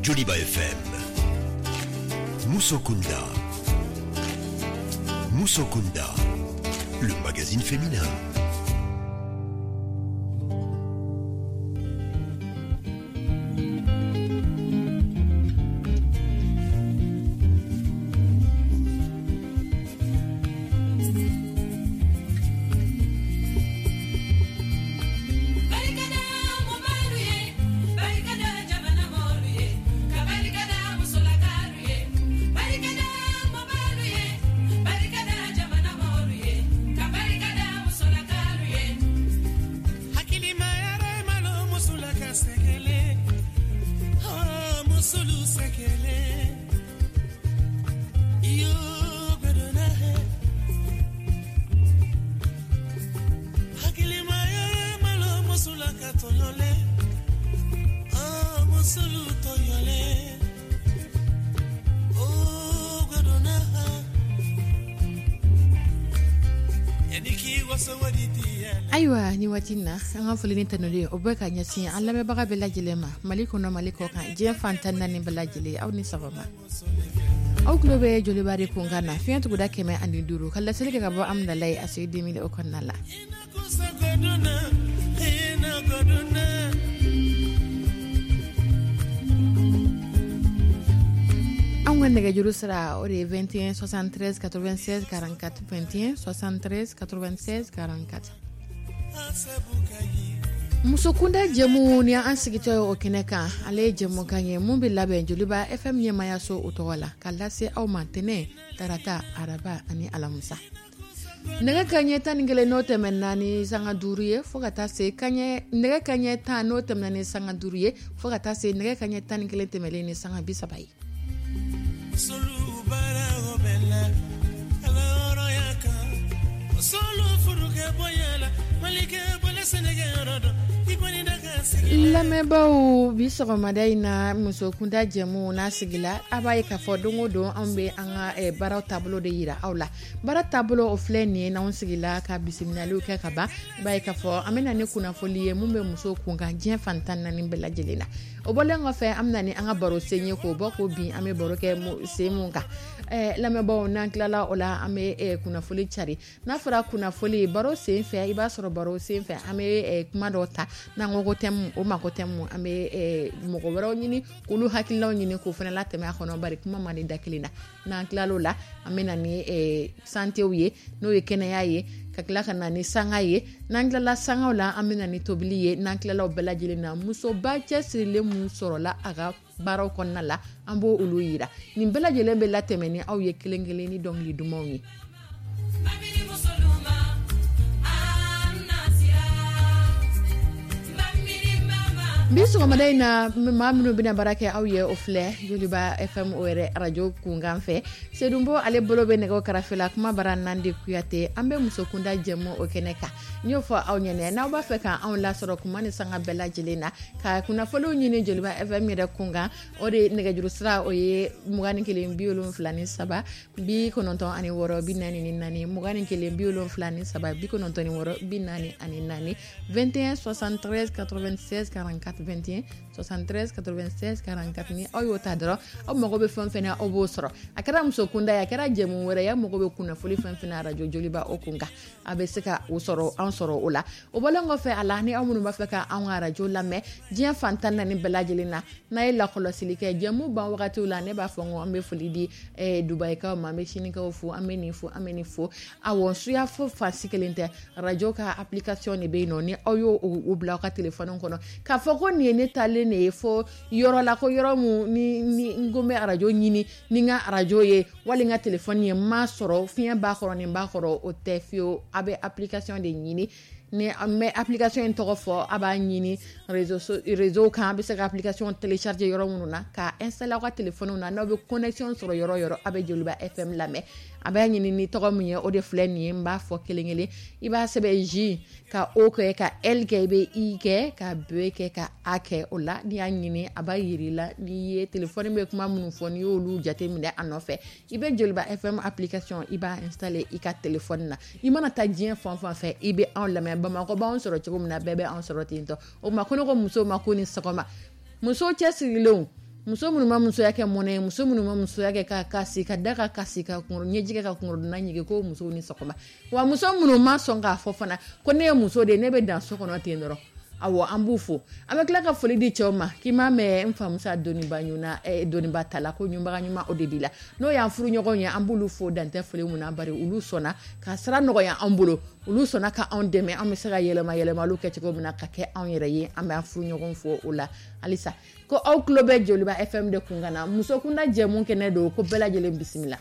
Joliba FM. Musokunda. Musokunda, le magazine féminin. Ayiwa, ni waati na, an ka foli ni tanuli, o bɛ ka ɲɛsin an lamɛnbaga bɛɛ lajɛlen ma, Mali kɔnɔ, Mali kɔ kan, diɲɛ fan 14 bɛɛ lajɛlen. Aw ni sɔgɔma. Aw tulo bɛ Joliba de kunkan na, fiɲɛ tuguda 105, ka laseli kɛ ka bɔ Amudalayi a se 2000 o kɔnɔna la. Anw ka nɛgɛjuru sira, o de ye 21 73 96 44, 21 73 96 44. Musokunda jɛmu ni an sigitɔ ye o kɛnɛ kan, ale ye jɛmukan ye mun bɛ labɛn Joliba FM ɲɛmayaso o tɔgɔ la, ka lase aw ma tɛnɛ, tarata, araba ani alamisa, nɛgɛ kaɲɛ 11 n'o tɛmɛna ni sanga 5 ye, fo ka taa se kaɲɛ nɛgɛ kaɲɛ 10 n'o tɛmɛna ni sanga 5 ye, fo ka taa se nɛgɛ kaɲɛ 11 tɛmɛlen ni sanga 30 ye. Lamɛnbaaw, bi sɔgɔmada in na, musokunda jɛmu n'a sigila, a b'a ye k'a fɔ don o don anw bɛ an ka baaraw taabolo de yira aw la. Baara taabolo, o filɛ nin ye. N'anw sigila ka bisimilaliw kɛ ka ban, i b'a ye k'a fɔ an bɛ na ni kunnafoli ye mun bɛ muso kunkan diɲɛ fan 14 bɛɛ lajɛlen na. O bɔlen kɔfɛ, an bɛ na ni an ka baro sen ye, k'o bɔ k'o bin, an bɛ baro kɛ sen mun kan. Lamɛnbaaw, n'an tilala o la, an bɛ kunnafoli cari. N'a fɔra kunnafoli, baro sen fɛ, i b'a sɔrɔ baro sen fɛ, an bɛ kuma dɔw ta n'an ko ko thème, o ma ko thème, an bɛ mɔgɔ wɛrɛw ɲini k'olu hakililaw ɲini k'o fana latɛmɛ a kɔnɔ, bari kuma man di da kelen na. N'an tilal'o la, an bɛ na ni santew ye, n'o ye kɛnɛya ye, ka tila ka na ni sanga ye. N'an tilala sangaw la, an bɛ na ni tobili ye. N'an tilala o bɛɛ lajɛlen na, musoba cɛsirilen mun sɔrɔla a ka baaraw kɔnɔna la, an b'o olu yira. Nin bɛɛ lajɛlen bɛ latɛmɛ ni aw ye kelen kelen ni dɔnkili dumanw ye. Bi sɔgɔmada in na, maa minnu bɛna baara kɛ aw ye, o filɛ Joliba FM o yɛrɛ arajo kunkan fɛ. Sedunbo, ale bolo bɛ nɛgɛw karafe la. Kuma bara Nandi Kuyate. An bɛ musokunda jɛmu o kɛnɛ kan. N y'o fɔ aw ɲɛnɛ, n'aw b'a fɛ ka anw lasɔrɔ kuma ni sanga bɛɛ lajɛlen na, ka kunnafoniw ɲini Joliba FM yɛrɛ kunkan, o de nɛgɛjuru sira, o ye 21 73 96 44, 21 73 96 44, 21 73 96 44, 21 73 96 44. Ni aw y'o ta dɔrɔn, aw mago bɛ fɛn fɛn na, aw b'o sɔrɔ. A kɛra muso kunda ye, a kɛra jɛmu wɛrɛ ye, aw mago bɛ kunnafoli fɛn fɛn na arajo Joliba o kun kan, a bɛ se ka o sɔrɔ, an sɔrɔ o la. O bɔlen kɔfɛ a la, ni aw minnu b'a fɛ ka anw ka arajo lamɛn diɲɛ fan 14 bɛɛ lajɛlen na, n'a ye lakɔlɔsili kɛ jɛmu ban wagatiw la, ne b'a fɔ n ko an bɛ foli di Dubayikaw ma, an bɛ Sinikaw fo, an bɛ nin fo, an bɛ nin fo. Awɔ, suya fo fansi kelen tɛ, arajo ka application de bɛ yen nɔ. Ni aw y'o o bila aw ka telefɔni kɔnɔ k'a fɔ ko nin ye ne taalen de ye fo yɔrɔ la, ko yɔrɔ mun ni n ko n bɛ arajo ɲini ni n ka arajo ye wali n ka telefɔni ye, n m'a sɔrɔ, fiɲɛ b'a kɔrɔ, nin b'a kɔrɔ, o tɛ fiyewu. A bɛ application de ɲini. Ni an bɛ application in tɔgɔ fɔ, a b'a ɲini réseau kan, a bɛ se ka application télécharger yɔrɔ minnu na, ka installer aw ka téléphone na. N'aw bɛ connexion sɔrɔ yɔrɔ o yɔrɔ, a bɛ Joliba FM lamɛn. A b'a ɲini ni tɔgɔ min ye, o de filɛ nin ye, n b'a fɔ kelen kelen. I b'a sɛbɛn J ka O kɛ ka L kɛ, i bɛ I kɛ ka B kɛ ka A kɛ. O la, n'i y'a ɲini, a b'a yir'i la. N'i ye téléphone bɛ kuma minnu fɔ, n'i y'olu jateminɛ a nɔfɛ, i bɛ Joliba FM application, i b'a installer i ka téléphone na. I mana taa diɲɛ fan o fan fɛ, i bɛ anw lamɛn. Bamakɔ b'anw sɔrɔ cogo min na, bɛɛ bɛ anw sɔrɔ ten tɔ. O tuma, ko ne ko musow ma ko ni sɔgɔma, musow cɛsirilenw. Muso minnu ma musoya kɛ mɔnɛ ye, muso minnu ma musoya kɛ ka kasi, ka da ka kasi, ka ɲɛji kɛ ka kungorodonna ɲigin, ko musow ni sɔgɔma. Wa muso minnu ma sɔn k'a fɔ fana ko ne ye muso de ye, ne bɛ dan so kɔnɔ ten dɔrɔn, awɔ, an b'u fo. An bɛ tila ka foli di cɛw ma k'i m'a mɛn n famusa doniba ɲuna, doniba ta la, ko ɲunbaga ɲuman o de b'i la. N'o y'an furuɲɔgɔnw ye, an b'olu fo dantɛ foli mun na, bari olu sɔnna ka sira nɔgɔya an bolo, olu sɔnna ka anw dɛmɛ an bɛ se ka yɛlɛma yɛlɛmaliw kɛ cogo min na ka kɛ anw yɛrɛ ye. An bɛ an furuɲɔgɔnw fo o la halisa. Ko aw tulo bɛ Joliba FM de kun kan na, muso kunda jɛmu kɛnɛ don, ko bɛɛ lajɛlen bisimila.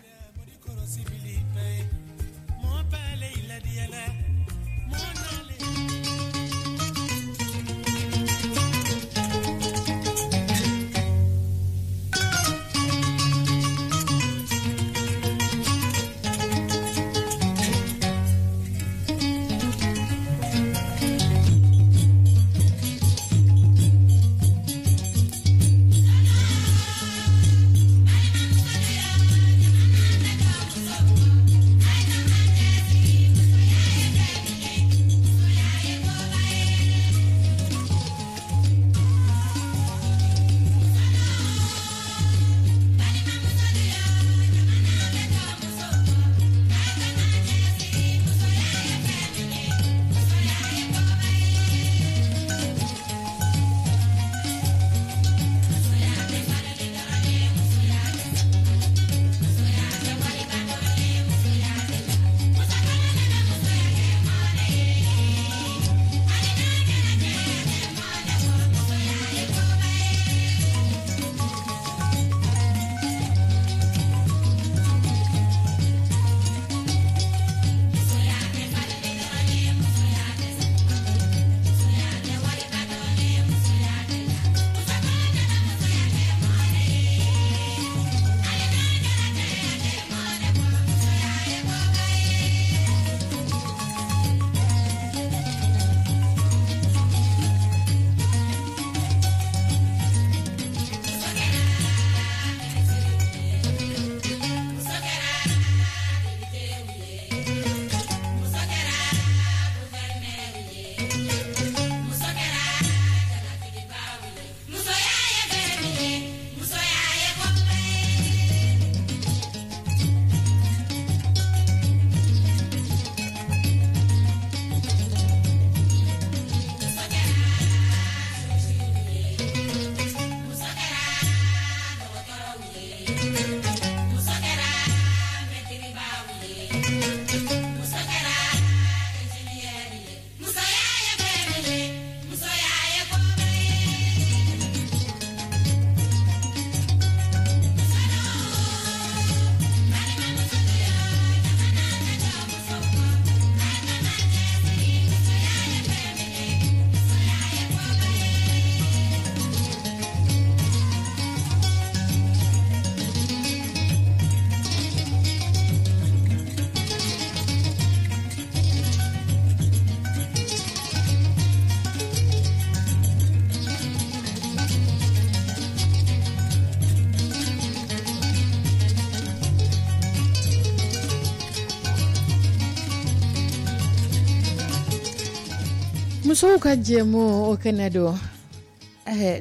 Musow ka jɛmu o kɛnɛ don.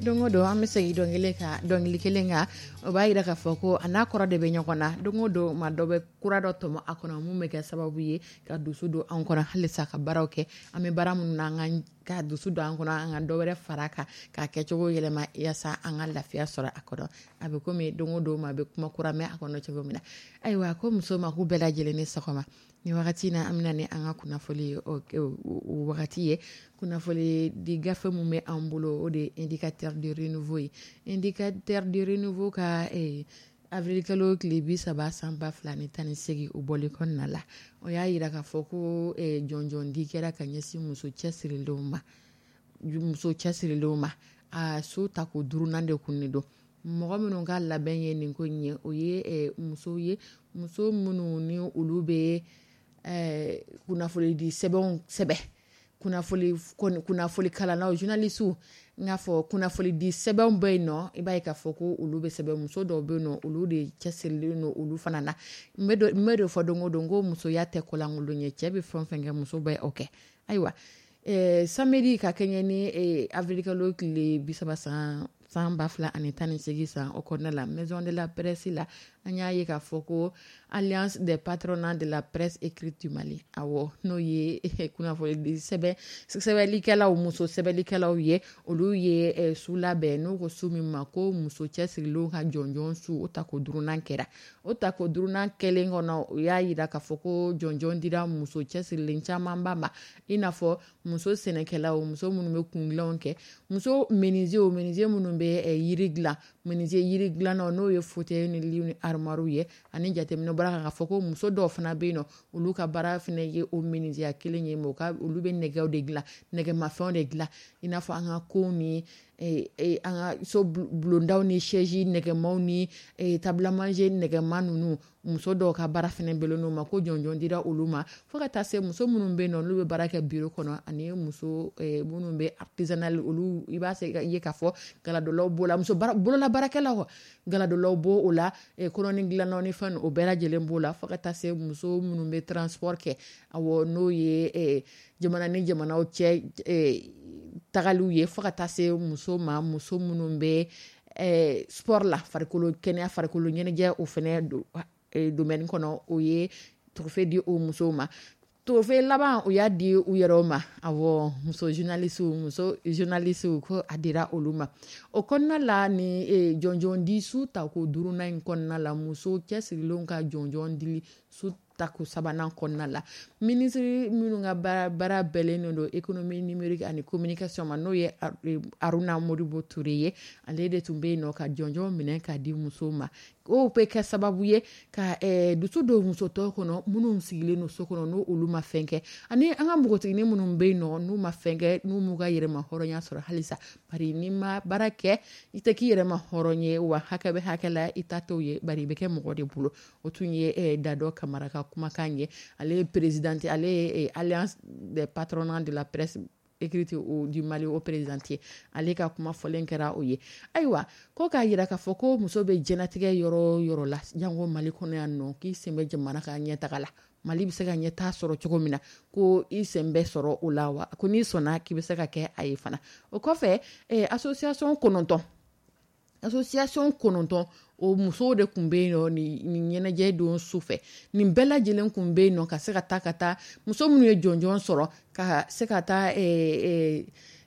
Don o don an bɛ segin dɔnkili kelen kan, o b'a jira k'a fɔ ko a n'a kɔrɔ de bɛ ɲɔgɔn na. Don o don maa dɔ bɛ kura dɔ tɔmɔ a kɔnɔ mun bɛ kɛ sababu ye ka dusu don an kɔnɔ halisa ka baaraw kɛ. An bɛ baara minnu na, an ka dusu don an kɔnɔ, an ka dɔ wɛrɛ fara kan k'a kɛcogo yɛlɛma yaasa an ka lafiya sɔrɔ a kɔnɔ. A bɛ komi don o don maa bɛ kuma kura mɛn a kɔnɔ cogo min na. Ayiwa, ko muso ma k'u bɛɛ lajɛlen ni sɔgɔma. Ni wagati na, an bɛna ni an ka kunnafoli o wagati ye. Kunnafoli di gafe min bɛ an bolo, o de ye Indicateur de renouveau ye. Indicateur de renouveau ka avril kalo tile 30 san 2018, o bɔlen kɔnɔna la, o y'a jira k'a fɔ ko jɔnjɔn di kɛra ka ɲɛsin muso cɛsirilenw ma. Muso cɛsirilenw ma, a so tako duurunan de kun de don. Mɔgɔ minnu ka labɛn ye nin ko in ye, o ye musow ye, muso minnu ni olu bɛ kunnafoni di sɛbɛnw sɛbɛn, kunnafoni kalannaw, journalistes, n k'a fɔ kunnafoni di sɛbɛnw bɛ yen nɔ. I b'a ye k'a fɔ ko olu bɛ sɛbɛn, muso dɔw bɛ yen nɔ, olu de cɛsirilen don olu fana na. N bɛ de fɔ don o don ko musoya tɛ kolankolon ye, cɛ bɛ fɛn o fɛn kɛ, muso bɛ o kɛ. Ayiwa, samedi ka kɛɲɛ ni avril kalo tile 30 san San 2018 san, o kɔnɔna la, Maison de la Presse la, an y'a ye k'a fɔ ko Alliance des patronats de la presse écrite du Mali, awɔ, n'o ye kunnafoni sɛbɛn sɛbɛnlikɛlaw, muso sɛbɛnlikɛlaw ye, olu ye su labɛn n'u ko su min ma ko muso cɛsirilenw ka jɔnjɔn su. O tako duurunan kɛra. O tako duurunan kɛlen kɔnɔ, u y'a jira k'a fɔ ko jɔnjɔn dira muso cɛsirilen camanba ma, i n'a fɔ muso sɛnɛkɛlaw, muso minnu bɛ kundilanw kɛ, muso menuisier, menuisier minnu bɛ yiri dilan, menuisier yiri dilannaw, n'o ye fauteuil ni lit ni armoire ye. Ani jateminɛ bɔra k'a fɔ ko muso dɔw fana bɛ yen nɔ, olu ka baara fana ye o menuisier kelen ye, mais olu bɛ nɛgɛw de dilan, nɛgɛmafɛnw de dilan, i n'a fɔ an ka kow ni an ka so bulondaw ni chaise nɛgɛmaw ni table à manger nɛgɛma ninnu. Muso dɔw ka baara fana bɛnnen o ma, ko jɔnjɔn dira olu ma, fo ka taa se muso minnu bɛ yen nɔ, n'olu bɛ baara kɛ bureau kɔnɔ, ani muso minnu bɛ artisanal, olu i b'a se ye k'a fɔ galadolaw b'o la, muso bolola baarakɛlaw, galadolaw b'o o la, kɔnɔni dilannaw ni fɛn, o bɛɛ lajɛlen b'o la, fo ka taa se muso minnu bɛ transport kɛ, awɔ, n'o ye jamana ni jamanaw cɛ tagaliw ye, fo ka taa se muso ma, muso minnu bɛ sport la, farikolo kɛnɛya, farikolo ɲɛnajɛ, o fana domaine kɔnɔ, o ye trophée di o musow ma. Trophée laban, o y'a di u yɛrɛw ma, awɔ, muso journaliste, muso journaliste, ko a dira olu ma. O kɔnɔna la, ni jɔnjɔn di su tako duurunan in kɔnɔna la, muso cɛsirilenw ka jɔnjɔn dili su tako sabanan kɔnɔna la, minisiri minnu ka baara bɛnnen don économie numérique ani communication ma, n'o ye Haruna Modibo Ture ye, ale de tun bɛ yen nɔ ka jɔnjɔn minɛ k'a di musow ma. O bɛ kɛ sababu ye ka dusu don muso tɔw kɔnɔ minnu sigilen don so kɔnɔ, n'o olu ma fɛn kɛ, ani an ka npogotiginin minnu bɛ yen nɔ, n'u ma fɛn kɛ, n'u m'u ka yɛrɛma hɔrɔnya sɔrɔ halisa. Bari n'i ma baara kɛ, i tɛ k'i yɛrɛma hɔrɔn ye, wa hakɛ bɛ hakɛ la, i ta t'o ye, bari i bɛ kɛ mɔgɔ de bolo. O tun ye Dadɔ Kamara ka kumakan ye. Ale ye présidente, ale ye Alliance des patronats de la presse écrite du Mali, o présidente ye. Ale ka kuma fɔlen kɛra o ye. Ayiwa, ko k'a jira k'a fɔ ko muso bɛ diɲɛlatigɛ yɔrɔ o yɔrɔ la, jango Mali kɔnɔ yan nɔ, k'i sen bɛ jamana ka ɲɛtaga la, Mali bɛ se ka ɲɛtaa sɔrɔ cogo min na, ko i sen bɛ sɔrɔ o la, wa ko n'i sɔnna k'i bɛ se ka kɛ a ye fana. O kɔfɛ, association 9, association 9, o musow de tun bɛ yen nɔ nin ɲɛnajɛ don su fɛ. Nin bɛɛ lajɛlen tun bɛ yen nɔ ka se ka taa, ka taa muso minnu ye jɔnjɔn sɔrɔ, ka se ka taa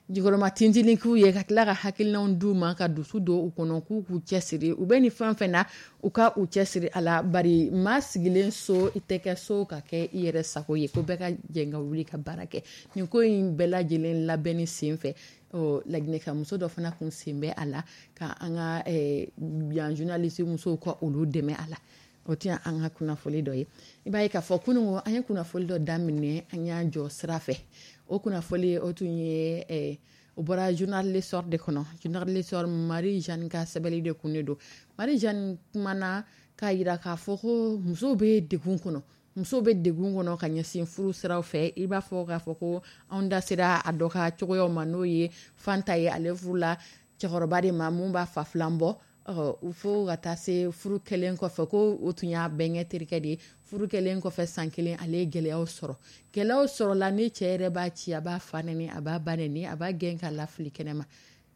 jukɔrɔma tintinin k'u ye, ka tila ka hakilinaw d'u ma, ka dusu don u kɔnɔ, k'u k'u cɛsiri u bɛ nin fɛn fɛn na, u ka u cɛsiri a la, bari maa sigilen so, i tɛ kɛ so ka kɛ i yɛrɛ sago ye, ko bɛɛ ka jɛ ka wuli ka baara kɛ. Nin ko in bɛɛ lajɛlen labɛnni sen fɛ, Laginɛka muso dɔ fana kun sen bɛ a la, ka an ka yan journaliste musow ka olu dɛmɛ a la. O tɛ an ka kunnafoli dɔ ye. I b'a ye k'a fɔ kunun an ye kunnafoli dɔ daminɛ, an y'an jɔ sira fɛ. O kunnafoli, o tun ye o bɔra Journal L'Essor de kɔnɔ. Journal L'Essor, Marie Jeanne ka sɛbɛnni de kun de don. Marie Jeanne kumana k'a jira k'a fɔ ko musow bɛ degun kɔnɔ, musow bɛ degun kɔnɔ ka ɲɛsin furu siraw fɛ. I b'a fɔ k'a fɔ ko anw da sera a dɔ ka cogoyaw ma, n'o ye Fanta ye. Ale furula cɛkɔrɔba de ma mun b'a fa filan bɔ, fo ka taa se furu kɛlen kɔfɛ, ko o tun y'a bɛnkɛ terikɛ de ye. Furu kɛlen kɔfɛ san kelen, ale ye gɛlɛyaw sɔrɔ. Gɛlɛyaw sɔrɔla ni cɛ yɛrɛ b'a ci, a b'a fa nɛni, a b'a ba nɛni, a b'a gɛn ka lafili kɛnɛma.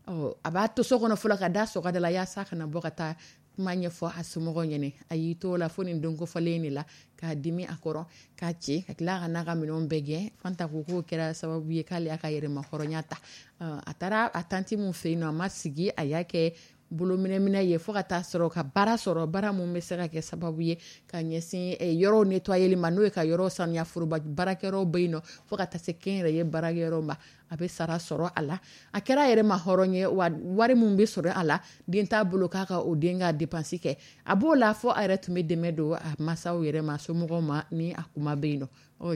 A b'a to so kɔnɔ fɔlɔ ka da sɔgɔda la, yaasa kana bɔ ka taa kuma ɲɛfɔ a somɔgɔw ɲɛnɛ. A y'i to la fo nin don kofɔlen de la, k'a dimi a kɔrɔ, k'a ci, ka tila ka n'a ka minɛnw bɛɛ gɛn. Fanta ko k'o kɛra sababu ye k'ale y'a ka yɛrɛma hɔrɔnya ta. A taara a tanti mun fɛ yen nɔ, a ma sigi, a y'a kɛ bolominɛminɛ ye, fo ka taa sɔrɔ ka baara sɔrɔ, baara mun bɛ se ka kɛ sababu ye ka ɲɛsin yɔrɔw nettoyeli ma, n'o ye ka yɔrɔ sanuya, foroba baarakɛyɔrɔw bɛ yen nɔ, fo ka taa se kɛnyɛrɛye baarakɛyɔrɔw ma. A bɛ sara sɔrɔ a la. A kɛra a yɛrɛ ma hɔrɔn ye, wa wari mun bɛ sɔrɔ a la, den t'a bolo k'a ka o den ka dépense kɛ. A b'o la fo a yɛrɛ tun bɛ dɛmɛ don a masaw yɛrɛ ma, somɔgɔw ma, ni a kuma bɛ yen nɔ.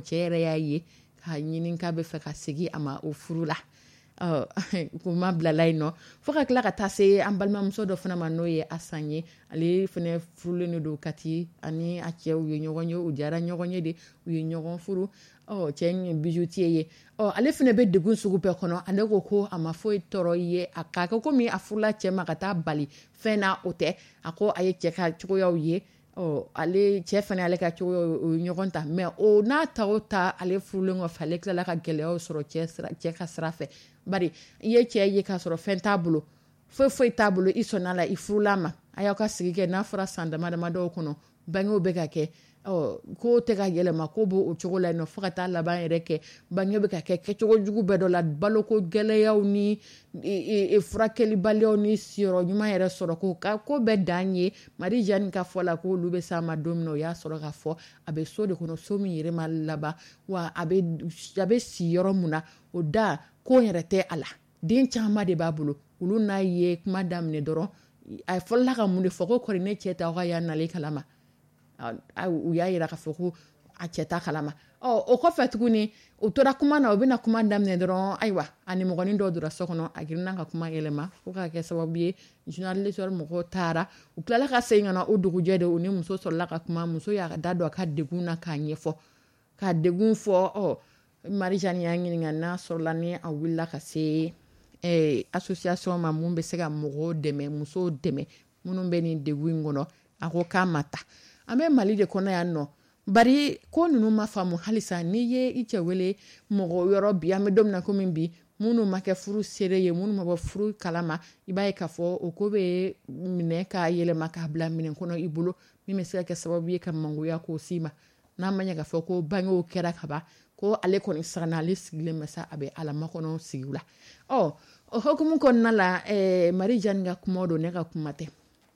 Cɛ yɛrɛ y'a ye k'a ɲini k'a bɛ fɛ ka segin a ma o furu la. Kuma bilala yen nɔ, fo ka tila ka taa se an balimamuso dɔ fana ma, n'o ye Asan ye. Ale fana furulen de don Kati, ani a cɛw ye ɲɔgɔn ye, u diyara ɲɔgɔn ye de, u ye ɲɔgɔn furu. Cɛ ye bijoutier ye. Ale fana bɛ degun sugu bɛɛ kɔnɔ. Ale ko ko a ma foyi tɔɔrɔ ye, a k'a kɛ komi a furula cɛ ma ka taa bali fɛn na, o tɛ. A ko a ye cɛ ka cogoyaw ye, ale cɛ fana ale ka cogoyaw, o ye ɲɔgɔn ta, mais o n'a ta o ta, ale furulen kɔfɛ, ale tilala ka gɛlɛyaw sɔrɔ cɛ ka sira fɛ, bari i ye cɛ ye k'a sɔrɔ fɛn t'a bolo. Foyi foyi t'a bolo, i sɔnna la, i furula ma, a y'aw ka sigi kɛ. N'a fɔra san dama dama dɔw kɔnɔ, bangew bɛ ka kɛ, ko tɛ ka yɛlɛma, ko b'o cogo la yen nɔ, fo ka taa laban yɛrɛ kɛ bange bɛ ka kɛ kɛcogo jugu bɛɛ dɔ la, baloko gɛlɛyaw ni furakɛlibaliyaw ni siyɔrɔ ɲuman yɛrɛ sɔrɔ, ko ka ko bɛɛ dan ye. Marie-Jeanne ka fɔ la, ko olu bɛ s'a ma don min na, o y'a sɔrɔ k'a fɔ a bɛ so de kɔnɔ, so min yɛrɛ ma laban, wa a bɛ si yɔrɔ mun na, o da ko yɛrɛ tɛ a la. Den caman de b'a bolo. Olu n'a ye kuma daminɛ dɔrɔn, a fɔlɔla ka mun de fɔ? Ko kɔri ne cɛ t'aw ka yan nalen kalama. U y'a yira k'a fɔ ko a cɛ ta kalama. Ɔ, o kɔfɛ tuguni, u tora kuma na, u bɛna kuma daminɛ dɔrɔn, ayiwa, a nimɔgɔnin dɔw donna so kɔnɔ, a girinna ka kuma yɛlɛma, fo k'a kɛ sababu ye journaliste mɔgɔw taara. U tilala ka segin ka na o dugujɛ de, u ni muso sɔrɔla ka kuma. Muso y'a da don a ka degun na k'a ɲɛfɔ, k'a degun fɔ. Ɔ, Marie-Jeanne y'a ɲininka n'a sɔrɔla ni a wulila ka se association ma mun bɛ se ka mɔgɔw dɛmɛ, musow dɛmɛ minnu bɛ nin degun in kɔnɔ. A ko k'a ma ta. An bɛ Mali de kɔnɔ yan nɔ, bari ko ninnu ma faamu halisa. N'i ye i cɛ wele mɔgɔ yɔrɔ bi, an bɛ don min na komi bi, minnu ma kɛ furu seere ye, minnu ma bɔ furu kalama, i b'a ye k'a fɔ o ko bɛ minɛ k'a yɛlɛma k'a bila minɛn kɔnɔ i bolo, min bɛ se ka kɛ sababu ye ka mangoya k'o s'i ma. N'a ma ɲɛ k'a fɔ ko bangew kɛra ka ban, ko ale kɔni siranna, ale sigilen bɛ sa, a bɛ ala makɔnɔ sigi la. Ɔ, o hukumu kɔnɔna la, Marie-Jeanne ka kuma don, ne ka kuma tɛ.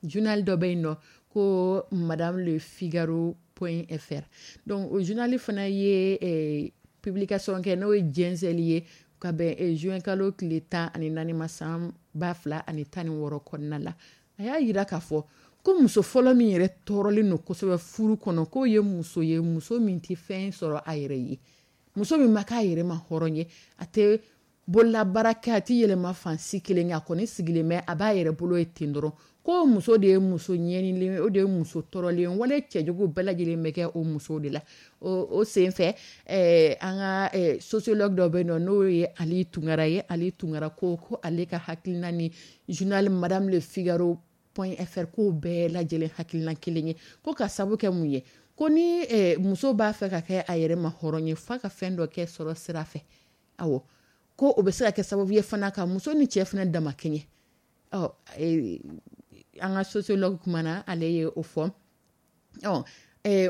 Journal dɔ bɛ yen nɔ ko Madame Le Figaro point fr. Donc o journal fana ye publication kɛ, n'o ye jɛnsɛnli ye, ka bɛn juin kalo tile 14 ma, san 2016 kɔnɔna la. A y'a yira k'a fɔ ko muso fɔlɔ min yɛrɛ tɔɔrɔlen don kosɛbɛ furu kɔnɔ, k'o ye muso ye, muso min tɛ fɛn sɔrɔ a yɛrɛ ye, muso min ma k'a yɛrɛ ma hɔrɔn ye, a tɛ bololabaara kɛ, a tɛ yɛlɛma fan si kelen, a kɔni sigilen bɛ, a b'a yɛrɛ bolo ye ten dɔrɔn. Ko muso de ye muso ɲɛnilen, o de ye muso tɔɔrɔlen, wale cɛjugu bɛɛ lajɛlen bɛ kɛ o muso de la. O sen fɛ, an ka sociologue dɔ bɛ yen nɔ, n'o ye Ali Tunkara ye. Ali Tunkara ko ale ka hakilina ni journal Madame Le Figaro point fr ko bɛɛ lajɛlen hakilina kelen ye, ko ka sabu kɛ mun ye? Ko ni muso b'a fɛ ka kɛ a yɛrɛ ma hɔrɔn ye, f'a ka fɛn dɔ kɛ sɔrɔ sira fɛ. Awɔ, ko o bɛ se ka kɛ sababu ye fana ka muso ni cɛ fana dama kɛɲɛ. Ɔ, an ka sociologue kumana, ale ye o fɔ. Ɔ,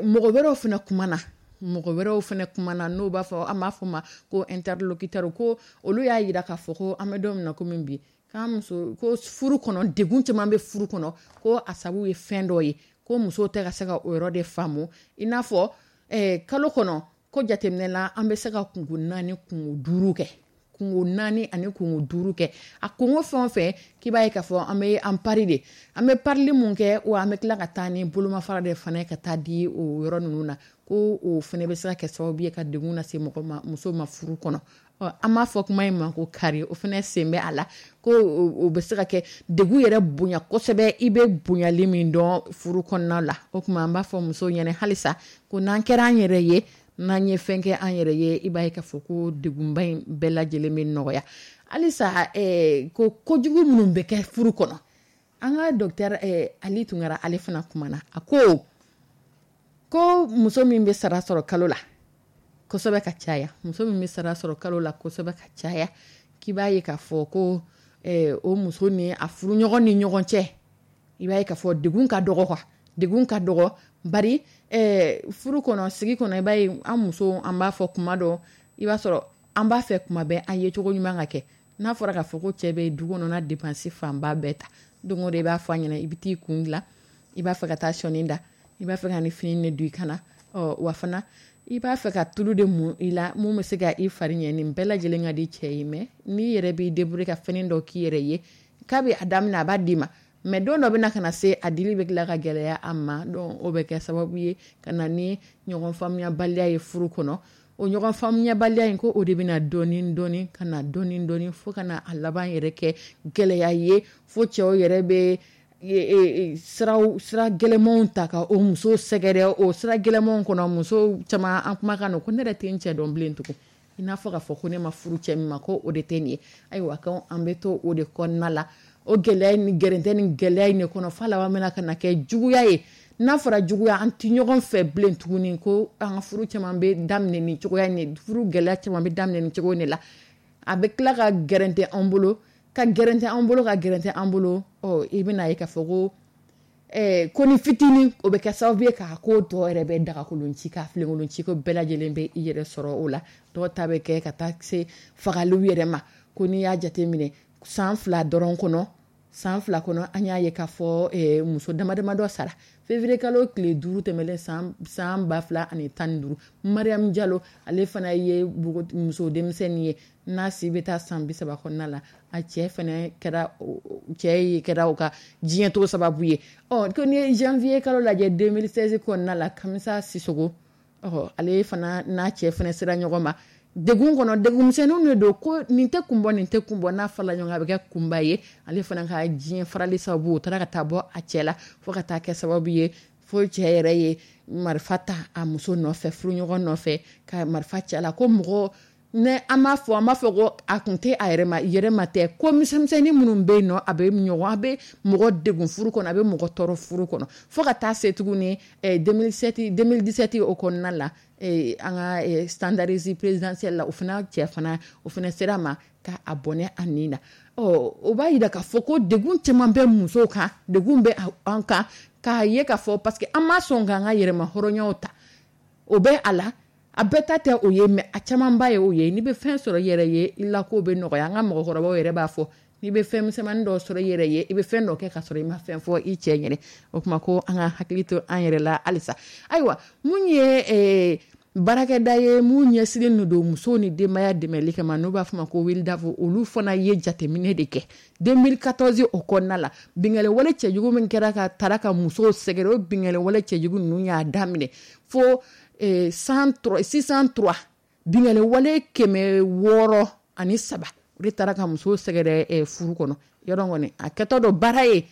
mɔgɔ wɛrɛw fana kumana, mɔgɔ wɛrɛw fana kumana, n'o b'a fɔ, an b'a fɔ ma ko interlocuteur. Ko olu y'a yira k'a fɔ ko an bɛ don min na komi bi, k'an muso ko furu kɔnɔ, degun caman bɛ furu kɔnɔ, ko a sababu ye fɛn dɔ ye, ko musow tɛ ka se ka o yɔrɔ de faamu. I n'a fɔ kalo kɔnɔ, ko jateminɛ la, an bɛ se ka kungo 4, kungo 5 kɛ, kungo 4 ani kungo 5 kɛ. A kungo fɛn o fɛn, k'i b'a ye k'a fɔ an bɛ an pari de, an bɛ parili mun kɛ, wa an bɛ tila ka taa ni bolomafara de fana ye ka taa di o yɔrɔ ninnu na, ko o fana bɛ se ka kɛ sababu ye ka degun lase mɔgɔ ma, muso ma furu kɔnɔ. Ɔ, an b'a fɔ kuma in ma ko kari, o fana sen bɛ a la, ko o bɛ se ka kɛ degun yɛrɛ bonya kosɛbɛ, i bɛ bonyali min dɔn furu kɔnɔna la. O tuma, an b'a fɔ musow ɲɛna halisa ko n'an kɛra an yɛrɛ ye, n'an ye fɛn kɛ an yɛrɛ ye, i b'a ye k'a fɔ ko degunba in bɛɛ lajɛlen bɛ nɔgɔya. Halisa, ko kojugu minnu bɛ kɛ furu kɔnɔ, an ka docteur Ali Tunkara, ale fana kumana. A ko muso min bɛ sara sɔrɔ kalo la kosɛbɛ ka caya, muso min bɛ sara sɔrɔ kalo la kosɛbɛ ka caya, k'i b'a ye k'a fɔ ko o muso ni a furuɲɔgɔn ni ɲɔgɔn cɛ, i b'a ye k'a fɔ degun ka dɔgɔ quoi, degun ka dɔgɔ. Bari furu kɔnɔ, sigi kɔnɔ, i b'a ye an muso, an b'a fɔ kuma dɔ, i b'a sɔrɔ an b'a fɛ kuma bɛɛ an ye cogo ɲuman ka kɛ. N'a fɔra k'a fɔ ko cɛ bɛ du kɔnɔna dépense fanba bɛɛ ta, don o don i b'a fɔ a ɲɛna, i bɛ t'i kun dilan, i b'a fɛ ka taa sɔɔni da, i b'a fɛ ka ni fini de don i kana, ɔ, wa fana i b'a fɛ ka tulu de mun i la mun bɛ se ka i fari ɲɛ. Nin bɛɛ lajɛlen ka di cɛ ye, mais n'i yɛrɛ b'i débrouiller ka fɛn dɔ k'i yɛrɛ ye, k'a bɛ a daminɛ, a b'a d'i ma, mais don dɔ bɛna ka na se, a dili bɛ tila ka gɛlɛya a ma. Donc o bɛ kɛ sababu ye ka na ni ɲɔgɔn faamuyabaliya ye furu kɔnɔ. O ɲɔgɔn faamuyabaliya in, ko o de bɛna dɔɔni dɔɔni ka na dɔɔni dɔɔni, fo ka na a laban yɛrɛ kɛ gɛlɛya ye, fo cɛw yɛrɛ bɛ sira gɛlɛmanw ta ka o muso sɛgɛrɛ. O sira gɛlɛmanw kɔnɔ, muso caman, an kumakan don ko ne yɛrɛ tɛ n cɛ dɔn bilen tugun, i n'a fɔ k'a fɔ ko ne ma furu cɛ min ma, ko o de tɛ nin ye. Ayiwa, ko an bɛ to o de kɔnɔna la, o gɛlɛya ni gɛrɛntɛ ni gɛlɛya in de kɔnɔ, f'a laban bɛna ka na kɛ juguya ye. N'a fɔra juguya, an tɛ ɲɔgɔn fɛ bilen tuguni. Ko an ka furu caman bɛ daminɛ nin cogoya in de, furu gɛlɛya caman bɛ daminɛ nin cogo in de la, a bɛ tila ka gɛrɛntɛ an bolo. Ka gɛrɛntɛ an bolo, ka gɛrɛntɛ an bolo. Ɔ, i bɛna ye k'a fɔ ko ni fitinin, o bɛ kɛ sababu ye k'a ko tɔ yɛrɛ bɛ dagakolon ci, k'a filenkolon ci, ko bɛɛ lajɛlen bɛ i yɛrɛ sɔrɔ o la. Dɔw ta bɛ kɛ ka taa se fagaliw yɛrɛ ma. Ko n'i y'a jateminɛ san 2 dɔrɔn kɔnɔ, san 2 kɔnɔ, an y'a ye k'a fɔ muso dama dama dɔ sara. Février kalo tile 5 tɛmɛlen san 2015, Mariam Diallo, ale fana ye muso denmisɛnnin ye n'a si bɛ taa san 30 kɔnɔna la. A cɛ fana kɛra, cɛ kɛra o ka diɲɛ to sababu ye. Ɔ, ko ni ye janvier kalo lajɛ 2016 kɔnɔna la, Kamisa Sisoko, ɔ, ale fana n'a cɛ fana sera ɲɔgɔn ma degun kɔnɔ. Degun misɛnninw de don, ko nin tɛ kun bɔ, nin tɛ kun bɔ, n'a farala ɲɔgɔn kan, a bɛ kɛ kunba ye. Ale fana ka diɲɛ farali sababu, o taara ka taa bɔ a cɛ la, fo ka taa kɛ sababu ye fo cɛ yɛrɛ ye marifa ta a muso nɔfɛ, furuɲɔgɔn nɔfɛ, ka marifa ci a la. Ko mɔgɔ ne an b'a fɔ, an b'a fɔ ko a kun tɛ a yɛrɛ ma, yɛrɛ ma tɛ. Ko misɛnmisɛnnin minnu bɛ yen nɔ, a bɛ ɲɔgɔn, a bɛ mɔgɔ degun furu kɔnɔ, a bɛ mɔgɔ tɔɔrɔ furu kɔnɔ, fo ka taa se tuguni 2007, 2017 o kɔnɔna la, an ka standardise présidentielle la, o fana cɛ fana, o fana sera ma ka a bɔnɛ a nin na. Ɔ, o b'a yira k'a fɔ ko degun caman bɛ musow kan, degun bɛ an kan, k'a ye k'a fɔ parce que an ma sɔn k'an ka yɛrɛma hɔrɔnyaw ta. O bɛ a la, a bɛɛ ta tɛ o ye, mais a camanba ye o ye. N'i bɛ fɛn sɔrɔ i yɛrɛ ye, i la ko bɛ nɔgɔya. An ka mɔgɔkɔrɔbaw yɛrɛ b'a fɔ, n'i bɛ fɛn misɛnmanin dɔ sɔrɔ i yɛrɛ ye, i bɛ fɛn dɔ kɛ ka sɔrɔ i ma fɛn fɔ i cɛ ɲɛnɛ. O tuma ko an ka hakili to an yɛrɛ la halisa. Ayiwa, mun ye baarakɛda ye mun ɲɛsinnen don musow ni denbaya dɛmɛli kama, n'u b'a fɔ ma ko WILDAF, olu fana ye jateminɛ de kɛ 2014 o kɔnɔna la. Binkanni wale cɛjugu min kɛra ka tara ka musow sɛgɛrɛ, o binkanni wale cɛjugu ninnu y'a daminɛ fo 603, binkanni wale 603, o de taara ka musow sɛgɛrɛ furu kɔnɔ. Yɔrɔ kɔni, a kɛtɔ dɔ baara ye,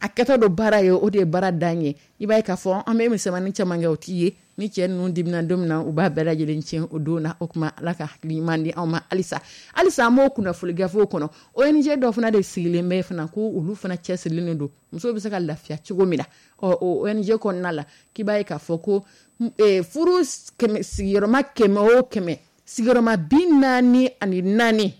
a kɛtɔ dɔ baara ye, o de ye baara dan ye. I b'a ye k'a fɔ an bɛ misɛnmanin caman kɛ, o t'i ye. Ni cɛ ninnu dimina don min na, u b'a bɛɛ lajɛlen tiɲɛ o don na. O tuma, Ala ka hakili ɲuman di anw ma halisa. Halisa an b'o kunnafoni gafew kɔnɔ. ONG dɔ fana de sigilen bɛ fana, ko olu fana cɛsirilen don musow bɛ se ka lafiya cogo min na. Ɔ, o ONG kɔnɔna la, k'i b'a ye k'a fɔ ko furu sigiyɔrɔma 100 o 100, sigiyɔrɔma 44,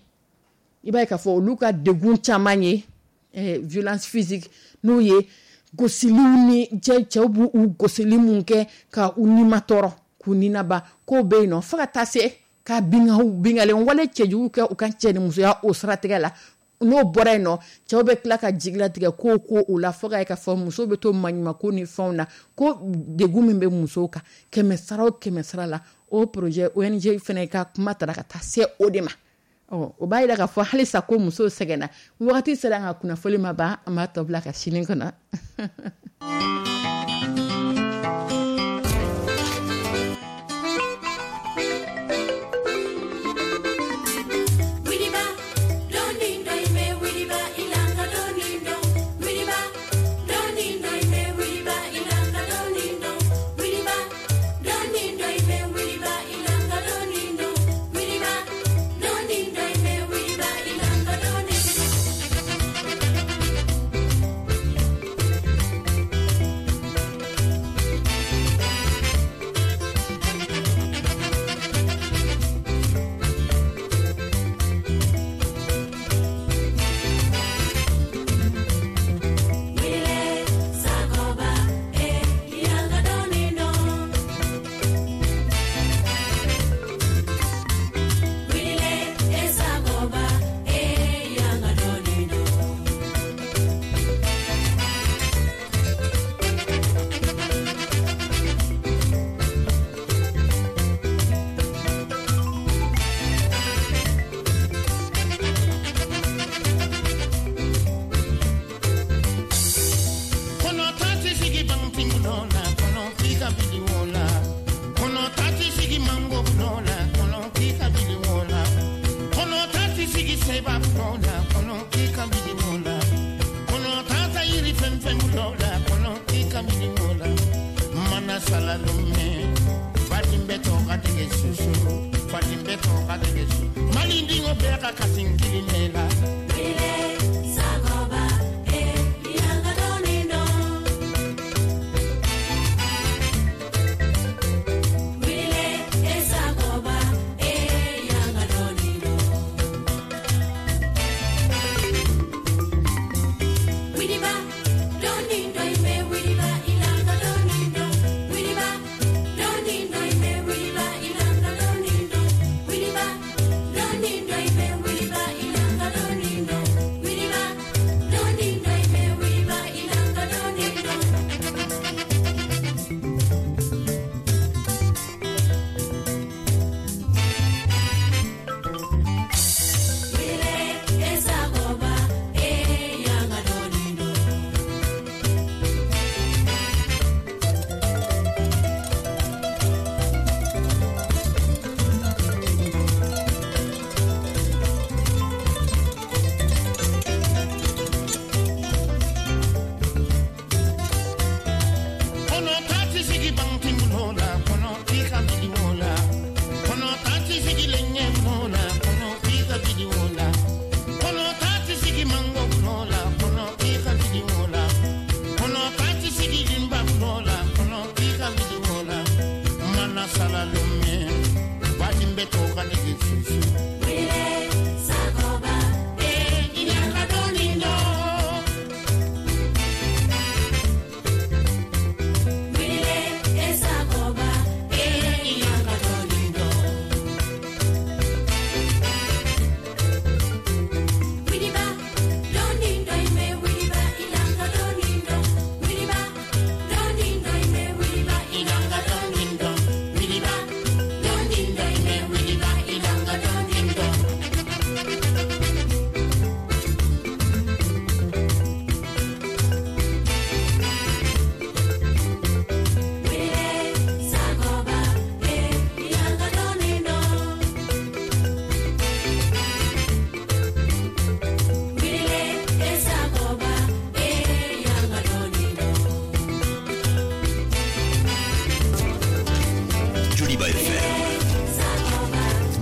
i b'a ye k'a fɔ olu ka degun caman ye violence physique, n'o ye gosiliw ni cɛw b'u gosili mun kɛ ka u nima tɔɔrɔ, k'u ninaba, k'o bɛ yen nɔ, fo ka taa se ka binkanni wale cɛjugu kɛ u ka cɛnimusoya o siratigɛ la. N'o bɔra yen nɔ, cɛw bɛ tila ka jigilatigɛ ko o la, fo ka ye k'a fɔ muso bɛ to maɲumanko ni fɛnw na. Ko degun min bɛ musow kan, 100 sara o 100 sara la, o projet ONG fana ka kuma taara ka taa se o de ma. Ɔ, o b'a yira k'a fɔ halisa ko musow sɛgɛnna. Wagati sera an ka kunnafoni ma ban, an b'a tɔ bila ka sini kɔnɔ.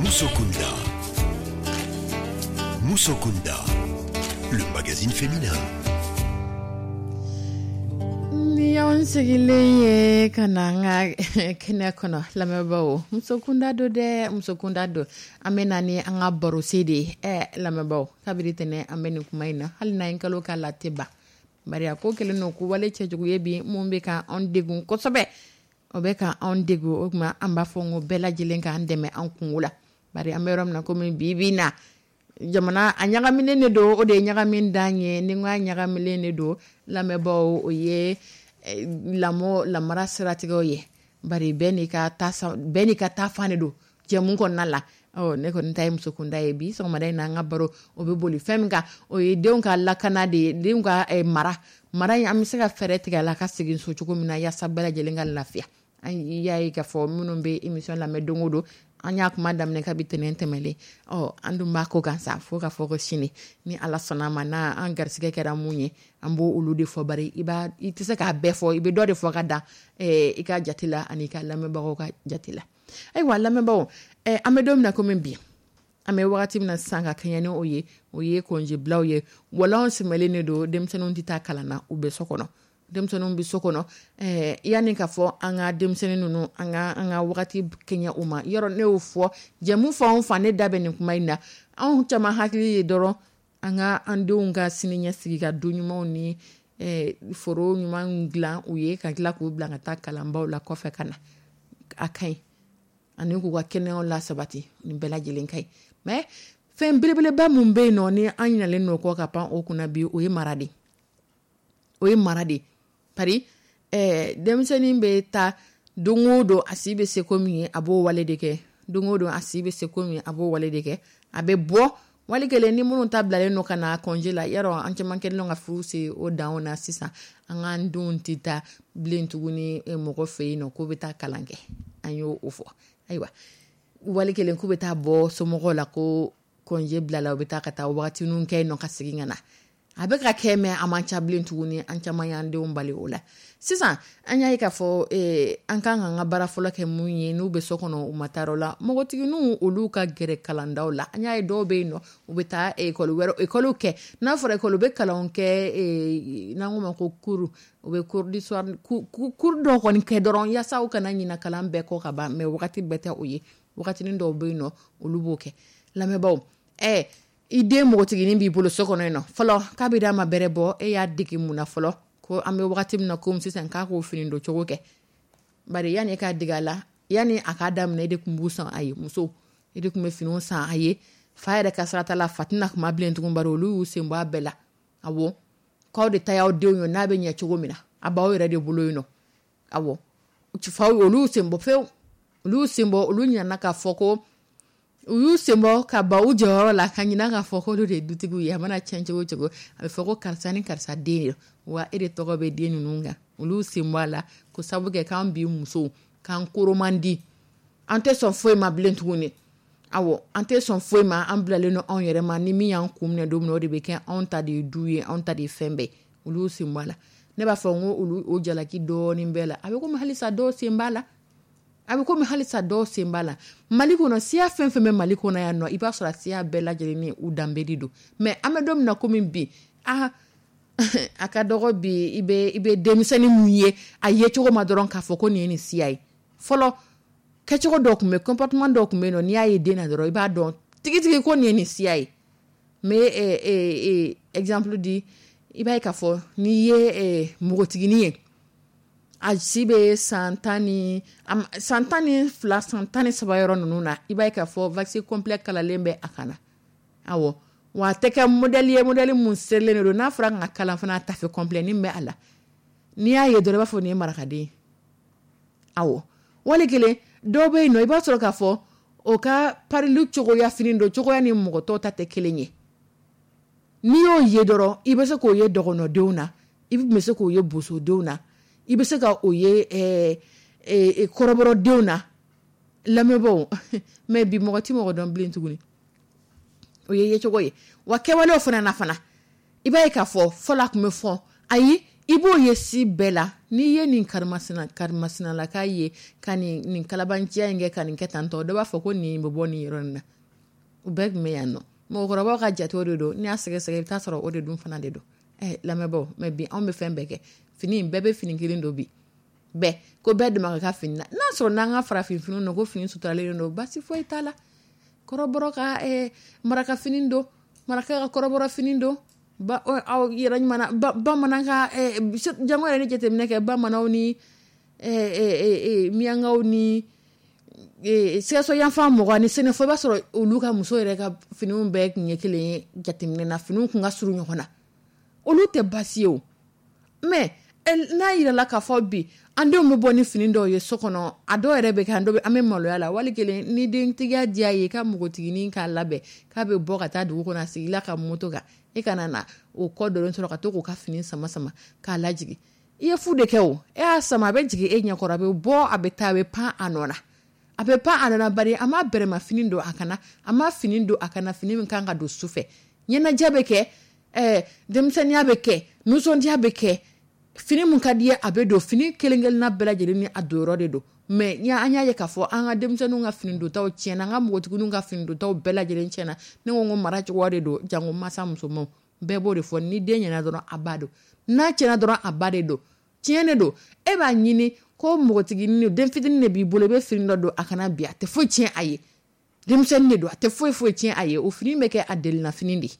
Musokunda. Musokunda, le magazine féminin. Ni y'anw sigilen ye ka na an ka kɛnɛ kɔnɔ, lamɛnbaaw, musokunda don dɛ, musokunda don. An bɛ na ni an ka barose de ye. Lamɛnbaaw, kabiri tɛnɛ an bɛ nin kuma in na, hali n'an ye kalo k'a la, tɛ ban, bari a ko kɛlen don ko wale cɛjugu ye bi mun bɛ ka anw degun kosɛbɛ. O bɛ ka anw degun. O tuma an b'a fɔ n ko bɛɛ lajɛlen k'an dɛmɛ an kungo la, bari an bɛ yɔrɔ min na komi bi bi in na, jamana a ɲagaminen de don. O de ye ɲagami dan ye. Ni n ko a ɲagaminen de don, lamɛnbaaw, o ye lamɔ lamara siratigɛw ye, bari bɛɛ n'i ka taa fan de don jɛmu kɔnɔna la. Ɔ, ne kɔni ta ye musokunda ye. Bi sɔgɔmada in na, an ka baro o bɛ boli fɛn min kan, o ye denw ka lakana de ye, denw ka mara in, an bɛ se ka fɛɛrɛ tigɛ a la ka segin so cogo min na, yaasa bɛɛ lajɛlen ka lafiya. An y'a ye k'a fɔ minnu bɛ émission lamɛn don o don, an y'a kuma daminɛ kabi tɛnɛn tɛmɛlen. Ɔ, an dun b'a ko kan sa fo ka fɔ ko sini, ni Ala sɔnna a ma, n'a an garisɛgɛ kɛra mun ye, an b'o olu de fɔ, bari i b'a i tɛ se k'a bɛɛ fɔ, i bɛ dɔ de fɔ ka dan i ka jate la ani i ka lamɛnbagaw ka jate la. Ayiwa lamɛnbagaw, an bɛ don min na komi bi, an bɛ wagati min na sisan ka kɛɲɛ ni o ye, o ye kɔnjebilaw ye. Wɔlɔn sɛmɛlen de don, denmisɛnninw tɛ taa kalan na, u bɛ so kɔnɔ, denmisɛnninw bɛ so kɔnɔ. Yanni k'a fɔ an ka denmisɛnnin ninnu, an ka wagati kɛɲɛ u ma, yɔrɔ ne y'o fɔ jɛmu fan o fan, ne da bɛ nin kuma in na. Anw caman hakili ye dɔrɔn an ka an denw ka sini ɲɛsigi ka du ɲumanw ni foro ɲuman dilan u ye, ka tila k'u bila ka taa kalanbaw la kɔfɛ ka na, a ka ɲi, ani k'u ka kɛnɛyaw lasabati, nin bɛɛ lajɛlen ka ɲi. Mais fɛn belebeleba mun bɛ yen nɔ ni an ɲinalen don kɔ ka pan o kunna bi, o ye mara de, o ye mara de. Pari denmisɛnnin bɛ taa don o don, a si bɛ se ko min ye, a b'o wale de kɛ. Don o don, a si bɛ se ko min ye, a b'o wale de kɛ. A bɛ bɔ wali kelen ni minnu ta bilalen don ka na congé la. Yarɔ, an caman kɛlen don ka furu se o danw na sisan, an k'an denw tɛ taa bilen tuguni mɔgɔ fɛ yen nɔ k'o bɛ taa kalan kɛ. An y'o o fɔ. Ayiwa, wali kelen k'u bɛ taa bɔ somɔgɔw la ko congé bilala, u bɛ taa ka taa wagatinin kɛ yen nɔ ka segin ka na. A bɛ ka kɛ, mais a man ca bilen tuguni. An caman y'an denw bali o la sisan. An y'a ye k'a fɔ an kan k'an ka baara fɔlɔ kɛ mun ye n'u bɛ so kɔnɔ, u ma taa yɔrɔ la, npogotigininw, olu ka gɛrɛ kalandaw la. An y'a ye dɔw bɛ yen nɔ, u bɛ taa ekɔli wɛrɛ, ekɔliw kɛ. N'a fɔra ekɔli, u bɛ kalanw kɛ, n'an k'o ma ko cours, u bɛ cours du soir, cours dɔw kɔni kɛ dɔrɔn yaasa u kana ɲina kalan bɛɛ kɔ ka ban. Mais wagati bɛɛ tɛ o ye, wagatinin dɔw bɛ yen nɔ, olu b'o kɛ. Lamɛnbaaw, i den npogotiginin b'i bolo so kɔnɔ yen nɔ fɔlɔ, k'a bɛ d'a ma bɛrɛ bɔ, e y'a dege mun na fɔlɔ ko an bɛ wagati min na komi sisan k'a k'o fini don cogo kɛ? Bari yanni e k'a dege a la, yanni a k'a daminɛ, e de tun b'u san a ye. Muso, e de tun bɛ finiw san a ye. Fa yɛrɛ ka sira t'a la, fa tɛna kuma bilen tugun, bari olu y'u sen bɔ a bɛɛ la. Awɔ, k'aw de ta y'aw denw ye, n'a bɛ ɲɛ cogo min na, a b'aw yɛrɛ de bolo yen nɔ. Awɔ, faw, olu y'u sen bɔ pewu, olu y'u sen bɔ. Olu ɲinɛna k'a fɔ ko u y'u sen bɔ ka ban u jɔyɔrɔ la, ka ɲinɛ k'a fɔ k'olu de ye dutigiw ye. A mana tiɲɛ cogo o cogo, a bɛ fɔ ko karisa ni karisa den ye, wa e de tɔgɔ bɛ den ninnu kan. Olu y'u sen bɔ a la ko sabu kɛ k'an bi musow k'an koro man di, an tɛ sɔn foyi ma bilen tuguni. Awɔ, an tɛ sɔn foyi ma, an bilalen don anw yɛrɛ ma. Ni min y'an kun minɛ don min na, o de bɛ kɛ anw ta de ye du ye, anw ta de ye fɛn bɛɛ. Olu y'u sen bɔ a la. Ne b'a fɔ n ko olu o jalaki dɔɔnin bɛɛ la. A bɛ komi halisa dɔw sen b'a la, a bɛ komi halisa dɔw sen b'a la. Mali kɔnɔ, siya fɛn fɛn bɛ Mali kɔnɔ yan nɔ, i b'a sɔrɔ a siya bɛɛ lajɛlen ni u danbe de don. Mais an bɛ don min na komi bi, aa, a ka dɔgɔ bi i bɛ denmisɛnnin mun ye, a ye cogo ma dɔrɔn k'a fɔ ko nin ye nin siya ye. Fɔlɔ kɛnɛma. Kɛcogo dɔw tun bɛ, comportement dɔw tun bɛ yen nɔ, n'i y'a ye den na dɔrɔn, i b'a dɔn tigitigi ko nin ye nin siya ye. N bɛ exemple di. I b'a ye k'a fɔ n'i ye npogotiginin ye, a si bɛ san 12, san 13 yɔrɔ ninnu na, i b'a ye k'a fɔ wax complet kalalen bɛ a kan na. Awɔ, wa a tɛ kɛ modèle ye, modèle mun serilen don. N'a fɔra ka kalan fana, tafe complet nin bɛ a la. N'i y'a ye dɔrɔn, i b'a fɔ nin ye marakaden ye. Awɔ, wali kelen dɔw bɛ yen nɔ, i b'a sɔrɔ k'a fɔ o ka parili cogoya, fini don cogoya ni mɔgɔ tɔw ta tɛ kelen ye. N'i y'o ye dɔrɔn, i bɛ se k'o ye dɔgɔnɔdenw na, i bɛ se k'o ye bosodenw na, i bɛ se ka o ye kɔrɔbɔrɔdenw na. Lamɛnbaaw, mais bi mɔgɔ ti mɔgɔ dɔn bilen tuguni. O ye yecogo ye. Wa kɛwalew fana na fana, i b'a ye k'a fɔ fɔlɔ a tun bɛ fɔ, ayi, i b'o ye si bɛɛ la. N'i ye nin karimasina karimasinalaka ye ka nin kalabanciya in kɛ, ka nin kɛ tan tɔ, dɔ b'a fɔ ko nin bɛ bɔ nin yɔrɔ in na. U bɛɛ tun bɛ yan nɔ. Mɔgɔkɔrɔbaw ka jatew de don. N'i y'a sɛgɛsɛgɛ, i bɛ taa sɔrɔ o de dun fana de don. Lamɛnbaaw, mais bi anw bɛ fɛn bɛɛ kɛ. Fini bɛɛ bɛ fini kelen don bi. Bɛɛ ko bɛɛ dama ka kan fini na. N'a sɔrɔ n'an ka farafin finiw don, ko fini suturalen don, basi foyi t'a la. Kɔrɔbɔrɔ ka maraka fini don, maraka ka kɔrɔbɔrɔ fini don, ba aw yɛrɛ ɲuman na, bamanan ka jango yɛrɛ ni jateminɛ kɛ, bamananw ni miyankaw ni Sikaso yanfan mɔgɔ ni Sɛnɛfɔ, i b'a sɔrɔ olu ka muso yɛrɛ ka finiw bɛɛ tun ye kelen ye. Jateminɛ na, finiw tun ka surun ɲɔgɔn na, olu tɛ baasi ye o. Mais n'a yirala k'a fɔ bi an denw bɛ bɔ ni fini dɔw ye so kɔnɔ, a dɔw yɛrɛ bɛ kɛ, an dɔw an bɛ maloya la. Wali kelen ni dentigiya diya ye, ka npogotiginin k'a labɛn k'a bɛ bɔ ka taa dugu kɔnɔ, a sigila ka moto kan, e kana na o kɔ dɔrɔn sɔrɔ ka to k'o ka fini sama sama k'a lajigin. I ye fu de kɛ o. E y'a sama, a bɛ jigin e ɲɛkɔrɔ, a bɛ bɔ, a bɛ taa, a bɛ pan a nɔ na, a bɛ pan a nɔ na. Bari a ma bɛrɛma fini don a kana, a ma fini don a kana, fini min kan ka don su fɛ. Ɲɛnajɛ bɛ kɛ, denmisɛnninya bɛ kɛ, nisɔndiya bɛ kɛ, fini mun ka di ye, a bɛ don. Fini kelen kelenna bɛɛ lajɛlen ni a don yɔrɔ de don. Mais an y'a ye k'a fɔ an ka denmisɛnninw ka fini dontaw tiɲɛna, an ka npogotigininw ka fini dontaw bɛɛ lajɛlen tiɲɛna. Ne ko mara cogoya de don. Jango masa musomanw bɛɛ b'o de fɔ: ni den ɲɛna dɔrɔn, a ba don; n'a tiɲɛna dɔrɔn, a ba de don. Tiɲɛ de don. E b'a ɲini ko npogotiginin, den fitinin de b'i bolo, i bɛ fini dɔ don a kana bi, a tɛ foyi tiɲɛ a ye. Denmisɛnnin de don, a tɛ foyi foyi tiɲɛ a ye. O fini bɛ kɛ a delina fini de,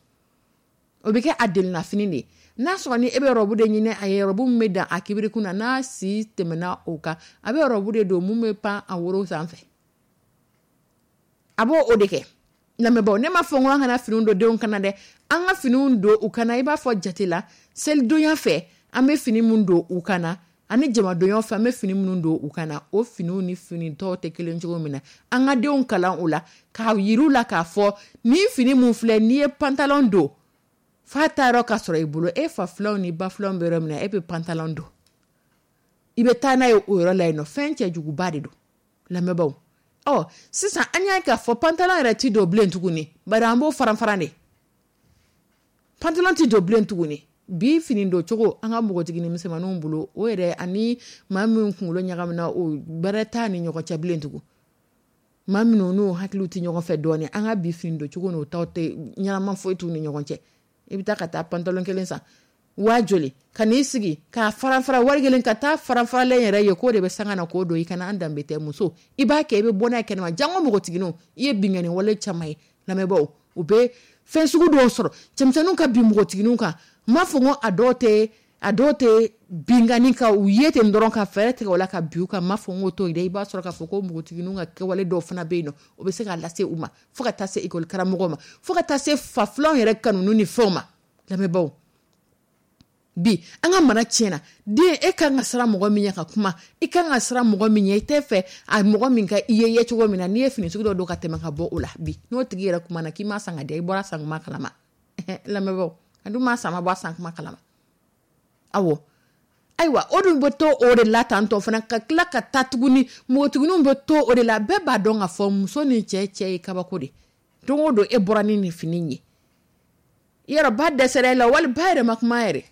o bɛ kɛ a delina fini de. N'a sɔrɔ ni e bɛ robe de ɲini a ye, robe min bɛ dan a kibirikun na, n'a si tɛmɛna o kan, a bɛ robe de don mun bɛ pan a woro sanfɛ, a b'o o de kɛ. Lamɛnbaaw, ne ma fɔ n ko an kana finiw don denw kana dɛ. An ka finiw don u kana, i b'a fɔ jate la, selidonya fɛ an bɛ fini mun don u kana, ani jamadonya fɛ an bɛ fini minnu don u kana, o finiw ni fini tɔw tɛ kelen cogo min na, an ka denw kalan o la, k'a yir'u la k'a fɔ ni fini mun filɛ, n'i ye pantalon don fa ta yɔrɔ ka sɔrɔ i bolo, e fa filanw ni ba filanw bɛ yɔrɔ min na, e bɛ pantalon don, i bɛ taa n'a ye o yɔrɔ la yen nɔ. Fɛn cɛjuguba de don, lamɛnbaaw. Ɔ sisan an y'a k'a fɔ pantalon yɛrɛ ti don bilen tuguni, bari an b'o faran faran de. Pantalon ti don bilen tuguni. Bi fini don cogo an ka npogotiginin misɛnmaninw bolo, o yɛrɛ ani maa min kunkolo ɲagamina, o bɛrɛ t'a ni ɲɔgɔn cɛ bilen tugun. Maa minnu n'u hakiliw tɛ ɲɔgɔn fɛ dɔɔnin, an ka bi fini don cogo n'o taw tɛ ɲɛnama foyi t'u ni ɲɔgɔn cɛ. I bɛ taa ka taa pantalon kelen san waa joli, ka n'i sigi k'a fara fara, wari kelen ka taa fara faralen yɛrɛ ye, k'o de bɛ sanga na k'o don i kana. An danbe tɛ. Muso, i b'a kɛ, i bɛ bɔ n'a ye kɛnɛma, jango npogotigininw. I ye binkanni wale caman ye, lamɛnbaaw. U bɛ fɛn sugu dɔw sɔrɔ cɛmisɛnninw ka bin npogotigininw kan. N m'a fɔ ko a dɔw tɛ binkanni kan u ye ten dɔrɔn ka fɛɛrɛ tigɛ o la ka bin u kan. N m'a fɔ n k'o t'o ye dɛ. I b'a sɔrɔ k'a fɔ ko npogotigininw ka kɛwale dɔw fana bɛ yen nɔ, o bɛ se k'a lase u ma, fo ka taa se ekɔli karamɔgɔw ma, fo ka taa se fa filanw yɛrɛ kanuni ni fɛnw ma. Lamɛnbaaw, bi an ka mara tiɲɛna. Den, e kan ka siran mɔgɔ min ɲɛ ka kuma, i kan ka siran mɔgɔ min ɲɛ, i tɛ fɛ a mɔgɔ min ka i ye ye cogo min na, n'i ye fini sugu dɔ don ka tɛmɛ ka bɔ o la bi, n'o tigi yɛrɛ kuma na k'i m'a san ka di, i bɔra san kuma kalama. Lamɛnbaaw, a dun m'a san, ma bɔ a san kuma kalama. Awɔ, ayiwa, o dun bɛ to o de la tantɔ fana, ka tila ka taa tuguni, npogotigininw bɛ to o de la. Bɛɛ b'a dɔn k'a fɔ muso ni cɛ cɛ ye kabako de. Don o don e bɔra ni nin fini ye, yɔrɔ ba dɛsɛra e la, wali ba yɛrɛ ma kuma yɛrɛ,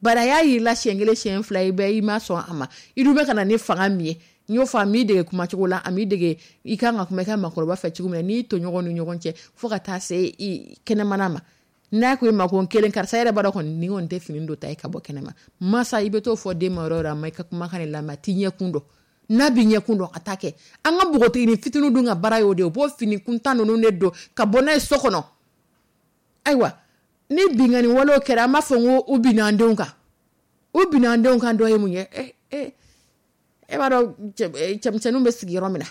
bari a y'a yir'i la siɲɛ kelen, siɲɛ fila, i bɛ i ma sɔn a ma. I dun bɛ ka na ni fanga min ye, n y'o fɔ, a m'i dege kumacogo la, a m'i dege i kan ka kuma i ka maakɔrɔba fɛ cogo min na, n'i tɔɲɔgɔnw ni ɲɔgɔn cɛ, fo ka taa se i kɛnɛmana ma. N'a ko i ma ko n kelen, karisa yɛrɛ b'a dɔn kɔni nin kɔni tɛ fini don ta ye ka bɔ kɛnɛma. Masa, i bɛ t'o fɔ den ma yɔrɔ o yɔrɔ, a ma i ka kumakan de lamɛn, a t'i ɲɛkun dɔn. N'a bɛ ɲɛkun dɔn, a t'a kɛ. An ka npogotiginin fitininw dun ka baara y'o de ye. U b'o fini kuntan ninnu de don ka bɔ n'a ye so kɔnɔ. Ayiwa, ni binkanni walew kɛra, an b'a fɔ ko u binna an denw kan. U binna an denw kan dɔ ye mun ye? E b'a dɔn cɛmisɛnninw bɛ sigi yɔrɔ min na,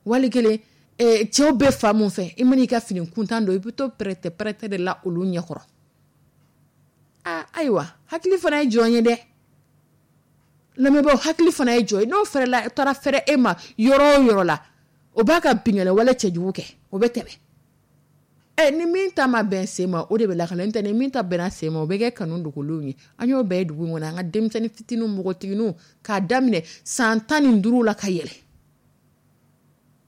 wali kelen cɛw bɛ fa mun fɛ, i man'i ka fini kuntan don, i bɛ to pɛrɛtɛ pɛrɛtɛ de la olu ɲɛkɔrɔ. Aa, ayiwa, hakili fana ye jɔn ye dɛ. Lamɛnbaaw, hakili fana ye jɔn ye. N'o fɛrɛla, taara fɛrɛ e ma yɔrɔ o yɔrɔ la, o b'a ka binkanni wale cɛjugu kɛ, o bɛ tɛmɛ. Ni min ta ma bɛn sen ma, o de bɛ lakale. N'o tɛ, ni min ta bɛnna sen ma, o bɛ kɛ kanu dogolenw ye. An y'o bɛɛ ye dugu in kɔnɔ. An ka denmisɛnnin fitininw, npogotigininw, k'a daminɛ san 15 la ka yɛlɛ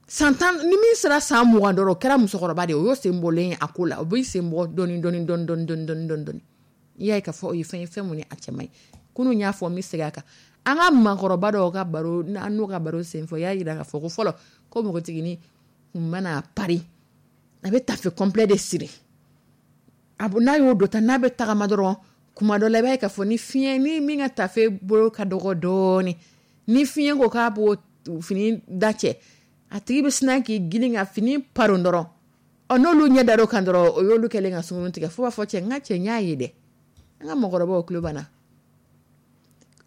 san 10, ni min sera san 20 dɔrɔn, o kɛra musokɔrɔba de ye. O y'o sen bɔlen ye a ko la. O b'i sen bɔ dɔɔni dɔɔni dɔɔni dɔɔni dɔɔni dɔɔni dɔɔni dɔɔni. I y'a ye k'a fɔ o ye fɛn ye, fɛn mun ye a cɛ man ɲi. Kunun y'a fɔ, n bɛ segin a kan. An ka maakɔrɔba dɔw ka baro, an n'u ka baro senfɛ, o y'a jira k'a fɔ ko fɔlɔ, ko npogotiginin kun mana pari, a bɛ tafe complet de siri. A n'a y'o don ta, n'a bɛ tagama dɔrɔn, kuma dɔ la, i b'a ye k'a fɔ ni fiɲɛ ni min ka tafe bolo ka dɔgɔ dɔɔni, ni fiɲɛ ko k'a b'o fini da cɛ, a tigi bɛ sina k'i girin ka fini paron dɔrɔn. Ɔ, n'olu ɲɛ dar'o kan dɔrɔn, o y'olu kɛlen ka sunkurun tigɛ. Fo b'a fɔ: "Cɛ, n ka cɛ, n y'a ye dɛ." An ka mɔgɔkɔrɔbaw tulo banna,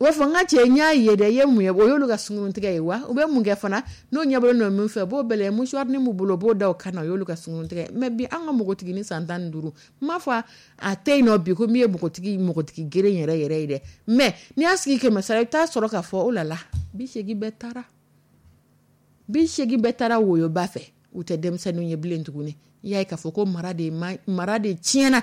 u b'a fɔ: "N ka cɛ, n y'a ye dɛ." I ye mun ye? O y'olu ka sunkurun tigɛ ye wa. U bɛ mun kɛ fana? N'o ɲɛbɔlen don min fɛ, u b'o bɛlɛn mouchoir b'u bolo, u b'o da o kan na. O y'olu ka sunkurun tigɛ. Mais bi, an ka npogotiginin san 15, n m'a fɔ a tɛ yen nɔ bi ko min ye npogotigi geren yɛrɛ yɛrɛ ye dɛ. Mais n'i y'a sigi 100 sara, i bɛ taa sɔrɔ k'a fɔ o la la 80 bɛɛ taara, 80 bɛɛ taara woyoba fɛ. U tɛ denmisɛnninw ye bilen tuguni. I y'a ye k'a fɔ ko mara de tiɲɛna,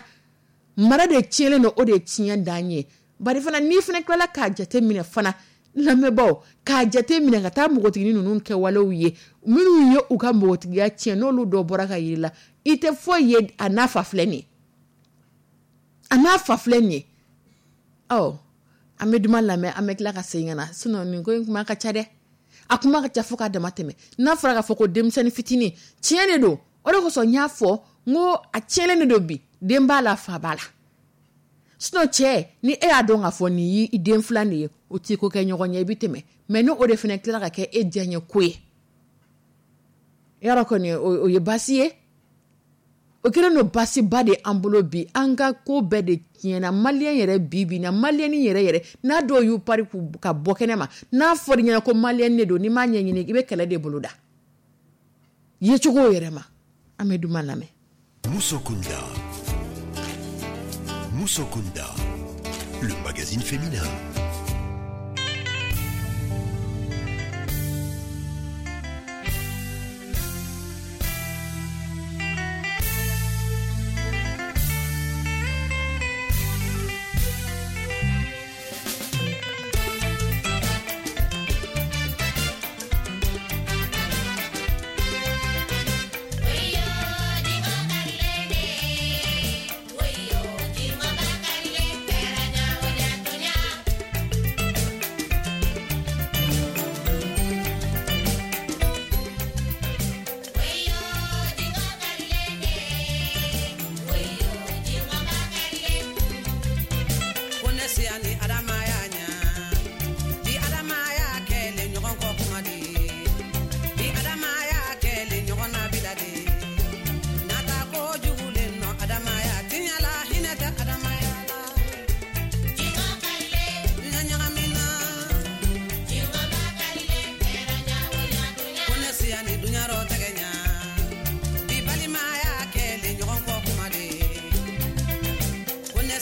mara de tiɲɛlen don. O de ye tiɲɛ dan ye. Bari fana, n'i fana tilala k'a jate minɛ fana, lamɛnbaaw, k'a jate minɛ ka taa npogotiginin ninnu kɛwalew ye, minnu ye u ka npogotigiya tiɲɛ, n'olu dɔ bɔra ka yir'i la, i tɛ foyi ye. A n'a fa filɛ nin ye, a n'a fa filɛ nin ye. Ɔ, an bɛ duman lamɛn, an bɛ tila ka segin ka na. Sinon nin ko in kuma ka ca dɛ, a kuma ka ca fo k'a dama tɛmɛ. N'a fɔra k'a fɔ ko denmisɛnnin fitinin, tiɲɛ de don. O de kosɔn n y'a fɔ n ko a tiɲɛlen de don bi. Den b'a la, fa b'a la. Sinon cɛ, ni e y'a dɔn k'a fɔ nin y'i den filan de ye, o t'i ko kɛ ɲɔgɔn ye, i bɛ tɛmɛ. Mais ni o de fana tilala ka kɛ e diyaɲɛ ko ye, yarɔ kɔni, o ye baasi ye. O kɛlen don baasiba de an bolo bi. An ka ko bɛɛ de tiɲɛna. Maliyɛn yɛrɛ, bi bi na, maliyɛnni yɛrɛ yɛrɛ, n'a dɔw y'u pari ka bɔ kɛnɛ ma, n'a fɔra i ɲɛna ko maliyɛn de don, n'i m'a ɲɛɲini, i bɛ kɛlɛ de boloda yecogo yɛrɛ ma. An bɛ duman lamɛn. Musokunda. Musokunda, le magazine féminin.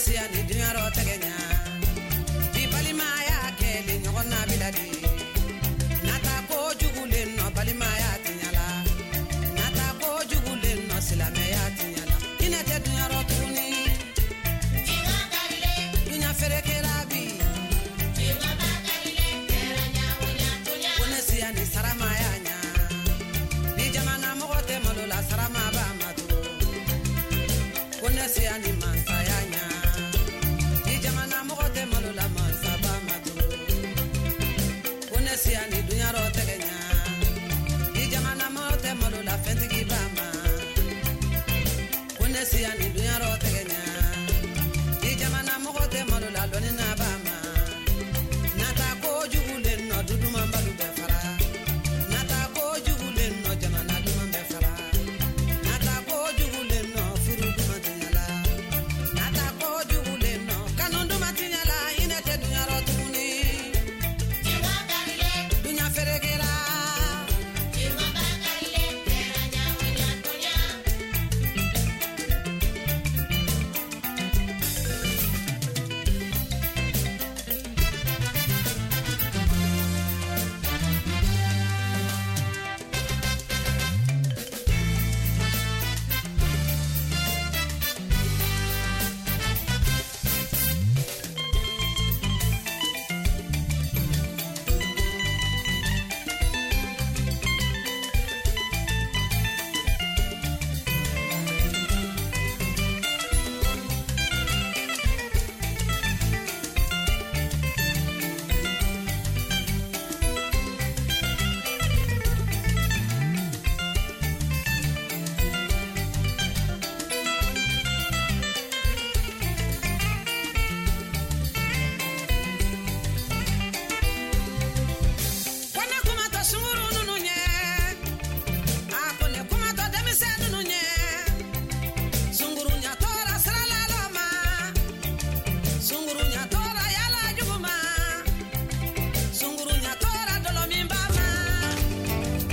Siya ni dunyarɔ tɛgɛ ɲa.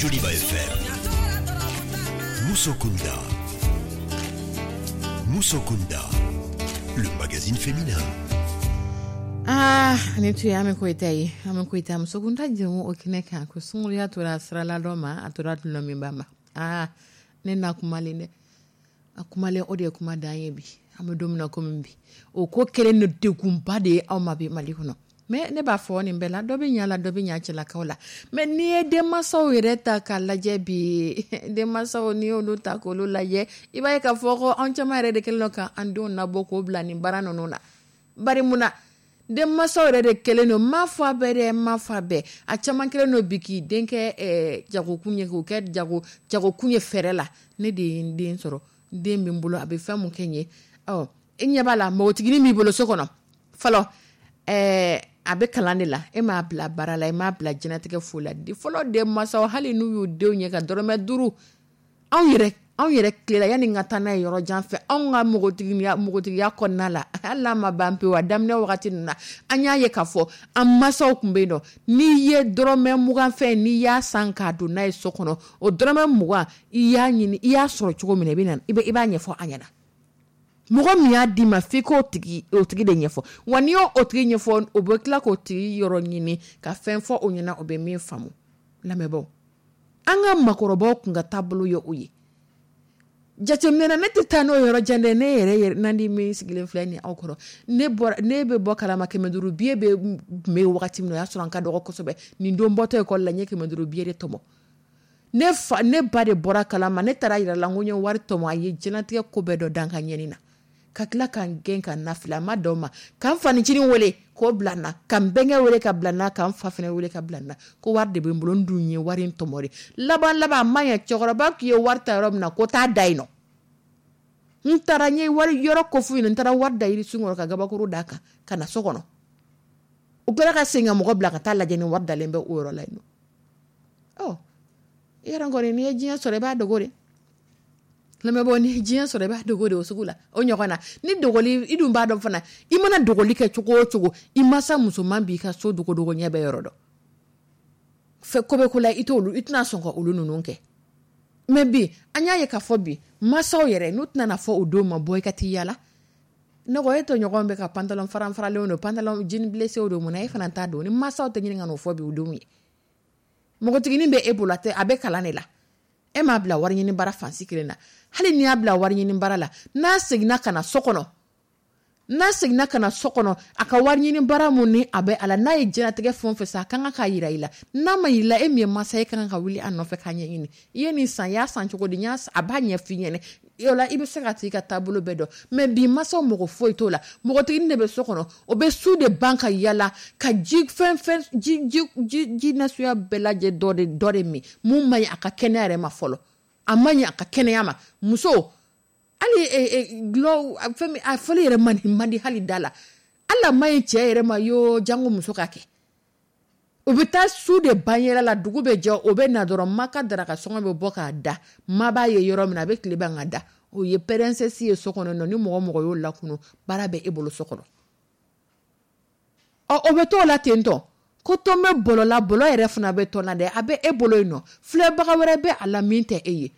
Joliba FM. Musokunda. Musokunda. Le magazine féminin. Ah, ni tun ye Ami Koyita ye. Ami Koyita, musokunda jɛmu o kɛnɛ kan, ko sunkuruya tora sirala dɔ ma, a tora dulɔminba ma. Ah, ne na kumalen dɛ, a kumalen, o de ye kuma dan ye. Bi an bɛ don min na komi bi, o ko kɛlen no degunba de ye anw ma bi Mali kɔnɔ. Mais ne b'a fɔ nin bɛɛ la, dɔ bɛ ɲa la, dɔ bɛ ɲa cɛlakaw la. Mais n'i ye denmansaw yɛrɛ ta k'a lajɛ bi, denmansaw, n'i y'olu ta k'olu lajɛ, i b'a ye k'a fɔ ko anw caman yɛrɛ de kɛlen don k'an denw nabɔ k'o bila nin baara ninnu na. Bari mun na denmansaw yɛrɛ de kɛlen don, n m'a fɔ a bɛɛ dɛ, n m'a fɔ a bɛɛ, a caman kɛlen don bi k'i den kɛ jagokun ye, k'o kɛ jagokun ye fɛɛrɛ la. Ne de ye n den sɔrɔ, n den bɛ n bolo, a bɛ fɛn mun kɛ n ye, ɔ e ɲɛ b'a la, npogotiginin b'i bolo so kɔnɔ fɔlɔ, a bɛ kalan de la, e m'a bila baara la, e m'a bila diɲɛlatigɛ foyi la. Fɔlɔ denmansaw, hali n'u y'u denw ye ka dɔrɔmɛ 5, anw yɛrɛ tilela, yanni n ka taa n'a ye yɔrɔ jan fɛ, anw ka npogotigiya kɔnɔna la, hali n'a ma ban pewu, a daminɛ wagati ninnu na, an y'a ye k'a fɔ an mansaw tun bɛ yen nɔ, n'i ye dɔrɔmɛ 20 fɛn, n'i y'a san k'a don n'a ye so kɔnɔ, o dɔrɔmɛ 20, i y'a ɲini, i y'a sɔrɔ cogo min na, i bɛ na, i b'a ɲɛfɔ an ɲɛna. Mɔgɔ min y'a d'i ma, f'i k'o tigi, o tigi de ɲɛfɔ. Wa n'i y'o tigi ɲɛfɔ, o bɛ tila k'o tigi yɔrɔ ɲini ka fɛn fɔ o ɲɛna, o bɛ min faamu. Lamɛnbaaw, an ka makɔrɔbaw tun ka taabolo ye o ye. Jateminɛ na, ne tɛ taa n'o yɔrɔ jan dɛ. Ne yɛrɛ nandi min sigilen filɛ nin aw kɔrɔ, ne bɔra, ne bɛ bɔ kalama, 500 billet bɛ tun bɛ yen wagati min na, o y'a sɔrɔ an ka dɔgɔ kosɛbɛ. Nin don bɔtɔ ekɔli la, n ye 500 billet de tɔmɔ. Ne fa, ne ba de bɔra kalama. Ne taara yira la n ko n ye wari tɔmɔ. A ye diɲɛlatigɛ ko bɛɛ dɔ dan ka ɲɛni na, ka tila ka n gɛn ka na fili. A ma dan o ma, ka n fanicinin wele k'o bila n na, ka n bɛnkɛ wele ka bila n na, ka n fa fana wele ka bila n na, ko wari de bɛ n bolo, n dun ye wari in tɔmɔ de. Laban laban, a ma ɲɛ, cɛkɔrɔba k'i ye wari ta yɔrɔ min na, ko taa da yen nɔ. N taara, n ye wari yɔrɔ ko f'u ɲɛna, n taara wari da yirisun kɔrɔ ka gabakuru d'a kan ka na so kɔnɔ. U kɛra ka segin ka mɔgɔ bila ka taa lajɛ ni wari dalen bɛ o yɔrɔ la yen nɔ. Ɔ i yɛrɛ kɔni, n'i ye diɲɛ sɔrɔ, i b'a dogo de. Lamɛnbaaw, ni ye diɲɛ sɔrɔ, i b'a dogo de o sugu la. O ɲɔgɔn na ni dogoli, i dun b'a dɔn fana, i mana dogoli kɛ cogo o cogo, i masa musoman b'i ka so dogodogo ɲɛ bɛɛ yɔrɔ dɔn. Fɛ ko bɛ ko la, i t'olu, i tɛna sɔn ka olu ninnu kɛ. Mais bi, an y'a ye k'a fɔ bi masaw yɛrɛ, n'u tɛna fɔ o denw ma bɔ i ka t'i yala, ne ko e tɔɲɔgɔn bɛ ka pantalon faran faralenw don, pantalon jean blessé don, mun na e fana t'a don? Ni masaw tɛ ɲini ka n'o fɔ bi u denw ye. Npogotiginin bɛ e bolo, a tɛ, a bɛ kalan de la, e m'a bila wari ɲini baara fansi kelen na. Hali n'i y'a bila wari ɲini baara la, n'a seginna ka na so kɔnɔ, n'a seginna ka na so kɔnɔ, a ka wari ɲini baara mun ni a bɛ a la, n'a ye diɲɛlatigɛ fɛn o fɛn san, a kan k'a yira i la. N'a ma yira i la, e min ye masa ye, e kan ka wuli a nɔfɛ k'a ɲɛɲini: i ye nin san, i y'a san cogo di? N y'a, a b'a ɲɛf'i ɲɛna. O la, i bɛ se ka t'i ka taabolo bɛɛ dɔn. Mais bi masaw mɔgɔ foyi t'o la. Npogotiginin de bɛ so kɔnɔ, o bɛ su de ban ka yala ka ji fɛn fɛn, ji ji ji ji nasuguya bɛɛ lajɛ, dɔ de min mun man ɲi a ka kɛnɛya yɛrɛ ma fɔlɔ, a man ɲi a ka kɛnɛya ma. Muso, hali gulɔ fɛn min, a fɔli yɛrɛ man di, man di hali da la, hali a man ɲi cɛ yɛrɛ ma yoo, jango muso ka kɛ. U bɛ taa su de ban yɛlɛ la, dugu bɛ jɛ, o bɛ na dɔrɔn, ma ka daraka sɔngɔ bɛ bɔ k'a da, ma b'a ye yɔrɔ min na, a bɛ tile ban ka da. O ye princesse ye so kɔnɔ nɔ. Ni mɔgɔ mɔgɔ y'o lakunu, baara bɛ e bolo so kɔnɔ. Ɔ o bɛ t'o la ten tɔ, ko tɔn bɛ bɔlɔ la, bɔlɔ yɛrɛ fana bɛ tɔn na dɛ, a bɛ e bolo yen nɔ, filɛbaga wɛrɛ bɛ a la min tɛ e ye.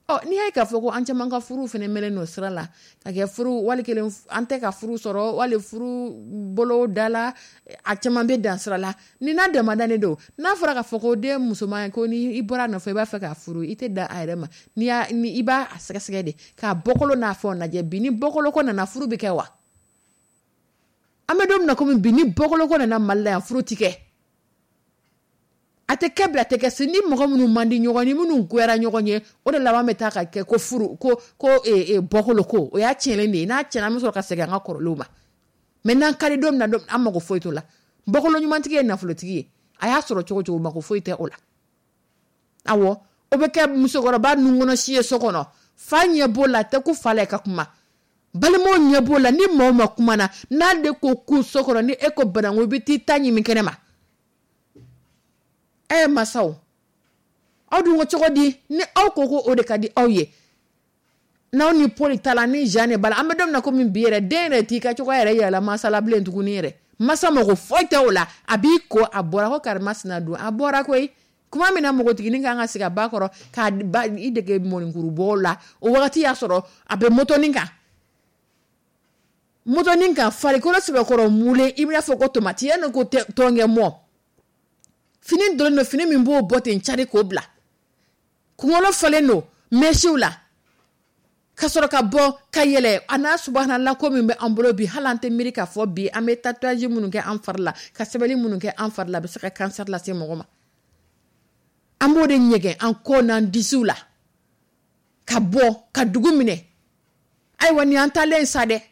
Ɔ n'i y'a ye k'a fɔ ko an caman ka furu fana mɛnlen don sira la ka kɛ furu wali kelen, an tɛ ka furu sɔrɔ wali furu bolo da la, a caman bɛ dan sira la. Ni n'a damadannen don, n'a fɔra k'a fɔ ko den musoman, ko ni i bɔra a nɔfɛ, i b'a fɛ k'a furu, i tɛ dan a yɛrɛ ma. N'i y'a ni i b'a sɛgɛsɛgɛ de k'a bɔkolo n'a fɛnw lajɛ. Bi ni bɔkolo ko nana, furu bɛ kɛ wa? An bɛ don min na komi bi, ni bɔkolo ko nana Mali la yan, furu ti kɛ, a tɛ kɛ bi, a tɛ kɛ sini. Ni mɔgɔ minnu man di ɲɔgɔn ni minnu goyara ɲɔgɔn ye, o de laban bɛ taa ka kɛ ko furu ko bɔkolo ko. O y'a tiɲɛnen de ye. N'a tiɲɛna, an bɛ sɔrɔ ka segin an ka kɔrɔlenw ma. Mais n'an ka di don min na, an mago foyi t'o la. Bɔkolo ɲumantigi ye nafolotigi ye, a y'a sɔrɔ cogo cogo, mako foyi tɛ o la. Awɔ, o bɛ kɛ musokɔrɔba nun si ye so kɔnɔ, fa ɲɛ b'o la, a tɛ ko fa la i ka kuma, balimaw ɲɛ b'o la. Ni maaw ma kuma na, n'ale ko ku so kɔnɔ, ni e ko bananku, i bɛ t'i ta ɲimi kɛnɛ ma. Ɛ masaw, aw dun ko cogo di? Ni aw ko ko o de ka di aw ye, n'aw ni Paul ta la, ni Jean de b'a la, an bɛ don min na komi bi yɛrɛ, den yɛrɛ t'i ka cogoya yɛrɛ yira la masa la bilen tuguni yɛrɛ. Masa mago foyi tɛ o la. A b'i ko, a bɔra ko karimasina dun, a bɔra koyi. Kuma min na npogotiginin kan ka sigi a ba kɔrɔ k'a ba i dege mɔnikurubɔ la, o wagati y'a sɔrɔ a bɛ motonin kan, motonin kan, farikolo sɛbɛkɔrɔ mulen, i b'a fɔ ko tomati yanni ko tɔnkɛ mɔ. Fini donnen don, fini min b'o bɔ ten cari k'o bila, kunkolo falen don mèches la, ka sɔrɔ ka bɔ ka yɛlɛ. A n'a subhanallah, ko min bɛ an bolo bi, hali an tɛ miiri k'a fɔ bi an bɛ tatouage minnu kɛ an fari la, ka sɛbɛnni minnu kɛ an fari la, a bɛ se ka cancer lase mɔgɔ ma. An b'o de ɲɛgɛn an kɔ n'an disiw la ka bɔ ka dugu minɛ. Ayiwa, nin y'an taalen sa dɛ,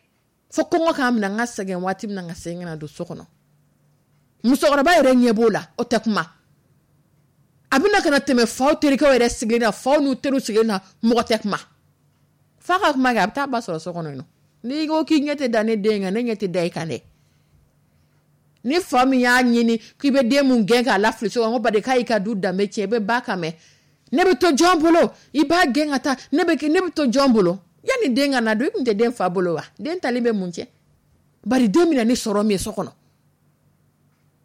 fo kɔngɔ k'an minɛ, an ka sɛgɛn waati min na, ka segin ka na don so kɔnɔ. Musokɔrɔba yɛrɛ ɲɛ b'o la, o tɛ kuma. A bɛna ka na tɛmɛ faw terikɛw yɛrɛ sigilen na, faw n'u teriw sigilen na, mɔgɔ tɛ kuma. Fa ka kuma kɛ, a bɛ taa ba sɔrɔ so kɔnɔ yen nɔ. N'i ko k'i ɲɛ tɛ da ne den kan, ne ɲɛ tɛ da i kan dɛ. Ni fa min y'a ɲini k'i bɛ den mun gɛn k'a lafili so kɔnɔ, ko bari k'a y'i ka du danbe tiɲɛ, i bɛ ba kan mɛn. Ne bɛ to jɔn bolo? I b'a gɛn ka taa, ne bɛ to jɔn bolo? Yanni den ka na don, i tun tɛ den fa bolo wa? Den tali bɛ mun cɛ? Bari den bɛna ni sɔrɔ min ye so kɔnɔ,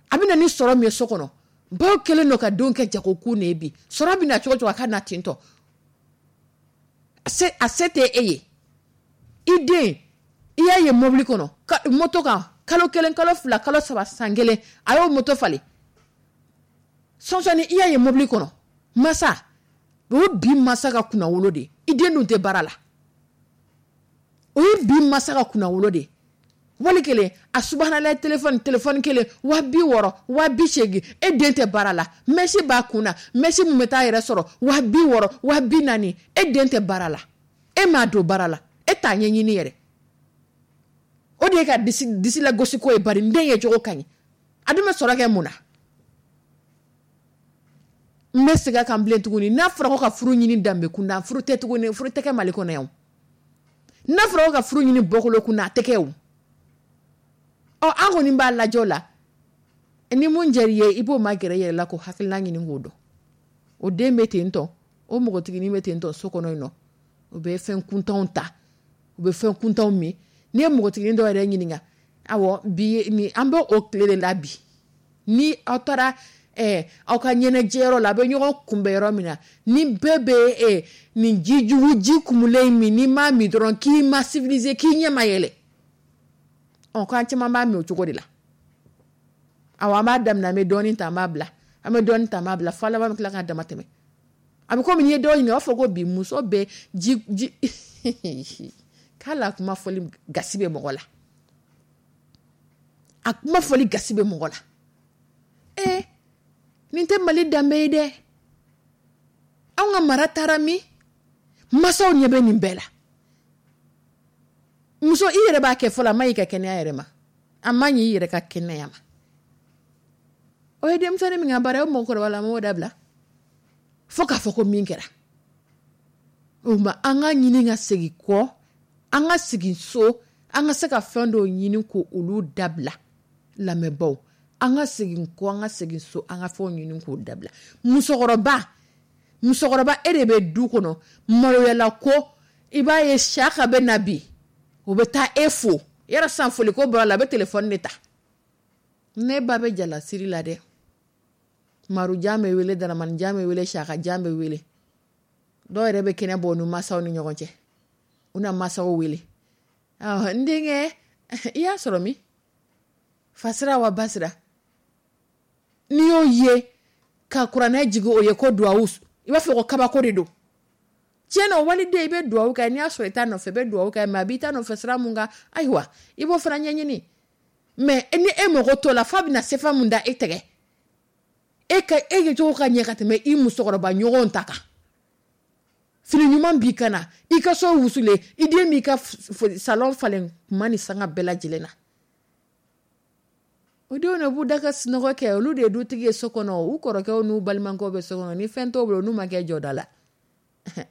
a bɛna ni sɔrɔ min ye so kɔnɔ, baw kɛlen don ka denw kɛ jagokun de ye bi. Sɔrɔ bɛna cogo cogo, a ka na ten tɔ. A se tɛ e ye. I den, i y'a ye mobili kɔnɔ, moto kan, kalo 1, kalo 2, kalo 3, san 1, a y'o moto falen. Sɔnsɔnni, i y'a ye mobili kɔnɔ. Masa, o ye bi masa ka kunnawolo de ye. I den dun tɛ baara la. O ye bi masa ka kunnawolo de ye. Wali kelen, a subhanallah, téléphone kelen, 60 000, 80 000, e den tɛ baara la. Mèche b'a kun na, mèche min bɛ taa yɛrɛ sɔrɔ 60 000, 40 000, e den tɛ baara la. E m'a don baara la, e t'a ɲɛɲini yɛrɛ. O de ye ka disi lagosi ko ye, bari n den ye cogo ka ɲi. A dun bɛ sɔrɔ kɛ mun na? N bɛ segin a kan bilen tuguni. N'a fɔra ko ka furu ɲini danbe kunda, furu tɛ tuguni, furu tɛ kɛ Mali kɔnɔ yan. N'a fɔra ko ka furu ɲini bɔkolo kunda, a tɛ kɛ o. Ɔ, an kɔni b'a lajɛ o la. Ni mun diyar'i ye, i b'o ma gɛrɛ i yɛrɛ la k'o hakilina ɲini k'o dɔn. O den bɛ ten tɔ, o npogotiginin bɛ ten tɔ so kɔnɔ yen nɔ. U bɛ fɛn kuntanw ta, u bɛ fɛn kuntanw min. N'i ye npogotiginin dɔw yɛrɛ ɲininka, awɔ, bi ni an bɛ o tile de la bi. Ni aw taara aw ka ɲɛnajɛyɔrɔ la, a bɛ ɲɔgɔn kunbɛn yɔrɔ min na, ni bɛɛ bɛ nin ji jugu, ji kumulen min, n'i m'a min dɔrɔn k'i ma civilisé, k'i ɲɛ ma yɛlɛ. Ɔ, k'an caman b'a min o cogo de la. Awɔ, an b'a daminɛ, an bɛ dɔɔnin ta, an b'a bila, an bɛ dɔɔnin ta, an b'a bila, fo laban bɛ tila k'a dama tɛmɛ. A bɛ komi n'i ye dɔw ɲininka, u b'a fɔ ko bi muso bɛ ji ji k'a la. Kuma fɔli gasi bɛ mɔgɔ la, a kuma fɔli gasi bɛ mɔgɔ la. Ee, nin tɛ Mali danbe ye dɛ. Anw ka mara taara min? Masaw ɲɛ bɛ nin bɛɛ la. Muso, i yɛrɛ b'a kɛ fɔlɔ, a ma ɲi ka kɛnɛya yɛrɛ ma, a ma ɲi i yɛrɛ ka kɛnɛya ma. O ye denmisɛnnin min ka baara ye, o mɔgɔkɔrɔba la m'o dabila fo k'a fɔ ko min kɛra o ma. An ka ɲini ka segin kɔ, an ka segin so, an ka se ka fɛn dɔw ɲini ko olu dabila. Lamɛnbaw, an ka segin kɔ, an ka segin so, an ka fɛnw ɲini k'o dabila. Musokɔrɔba, musokɔrɔba, e de bɛ du kɔnɔ maloyala ko i b'a ye saka bɛ na bi, o bɛ taa e fo yɔrɔ san foliko bɔra la, a bɛ telefɔni de ta. Ne ba bɛ jalasiri la dɛ, marujan bɛ wele, daramanijan bɛ wele, sakajan bɛ wele. Dɔw yɛrɛ bɛ kɛnɛ bɔ u ni masaw ni ɲɔgɔn cɛ, u na masaw wele. N denkɛ, i y'a sɔrɔ min fasira wa basira, n'i y'o ye ka kuranɛ jigin o ye ko duwawu, i b'a fɔ ko kabako de don. Tiɲɛ na, waliden, i bɛ duwawu kɛ. N'i y'a sɔrɔ i t'a nɔfɛ, i bɛ duwawu kɛ, mais a b'i ta nɔfɛ sira mun kan, ayiwa, i b'o fana ɲɛɲini. Mais ni e mago t'o la, f'a bɛna sefa mun da e tɛgɛ, e ka e kɛcogo ka ɲɛ ka tɛmɛ i musokɔrɔba ɲɔgɔnw ta kan. Fini ɲuman b'i kan na, i ka so wusulen, i den b'i ka salon falen kuma ni sanga bɛɛ lajɛlen na. O denw de b'u da ka sunɔgɔ kɛ. Olu de ye dutigi ye so kɔnɔ. U kɔrɔkɛw n'u balimakɛw bɛ so kɔnɔ, ni fɛn t'o bolo, n'u ma kɛ jɔda la.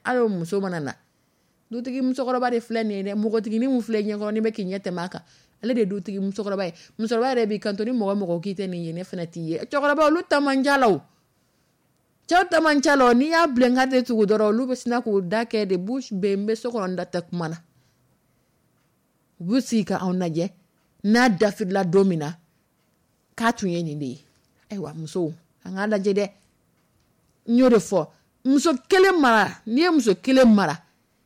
Hali o muso mana na, dutigi musokɔrɔba de filɛ nin ye dɛ. Npogotiginin min filɛ ɲɛkɔrɔ, ni bɛ k'i ɲɛ tɛmɛ a kan, ale de ye dutigi musokɔrɔba ye. Musokɔrɔba yɛrɛ b'i kanto ni mɔgɔ mɔgɔ k'i tɛ nin ye, ne fana t'i ye. Cɛkɔrɔba, olu ta man ca la o, cɛw ta man ca la o. N'i y'a bilen k'a tɛ tugu dɔrɔn, olu bɛ sina k'u da kɛ de bouche bée. N bɛ so kɔnɔ, n da tɛ kuma na. U b'u sigi ka anw lajɛ n'a dafirila don min na k'a tun ye nin de ye. Ayiwa musow, an k'a lajɛ dɛ. N y'o de fɔ, muso kelen mara, n'i ye muso kelen mara,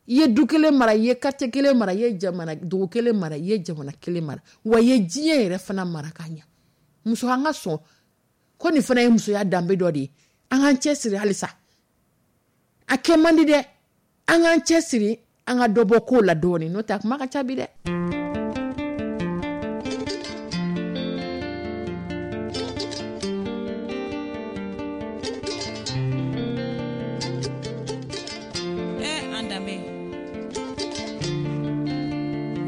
i ye du kelen mara, i ye quartier kelen mara, i ye jamana dugu kelen mara, i ye jamana kelen mara, wa i ye diɲɛ yɛrɛ fana mara ka ɲa. Muso, an ka sɔn ko nin fana ye musoya danbe dɔ de ye. An k'an cɛ siri halisa, a kɛ man di dɛ, an k'an cɛ siri, an ka dɔ bɔ kow la dɔɔnin, n'o tɛ a kuma ka ca bi dɛ. An danbe,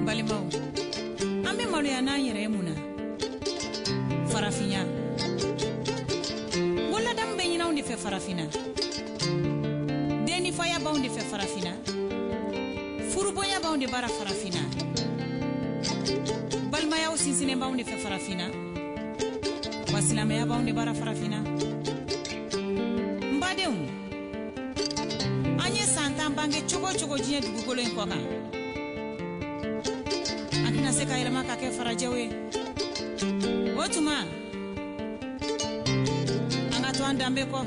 balimaw, an bɛ maloya n'an yɛrɛ ye mun na? Farafinya ko ladamu bɛ ɲini anw de fɛ farafinna, dennifaya b'anw de fɛ farafinna, furubonya b'anw de bara farafinna, balimayaw sinsinnen b'anw de fɛ farafinna, wa silamɛya b'anw de bara farafinna. N badenw, an ye san 10 bange cogo o cogo diɲɛ dugukolo in kɔ kan, an tɛna se ka yɛlɛma ka kɛ farajɛw ye. O tuma an ka to an danbe kɔ.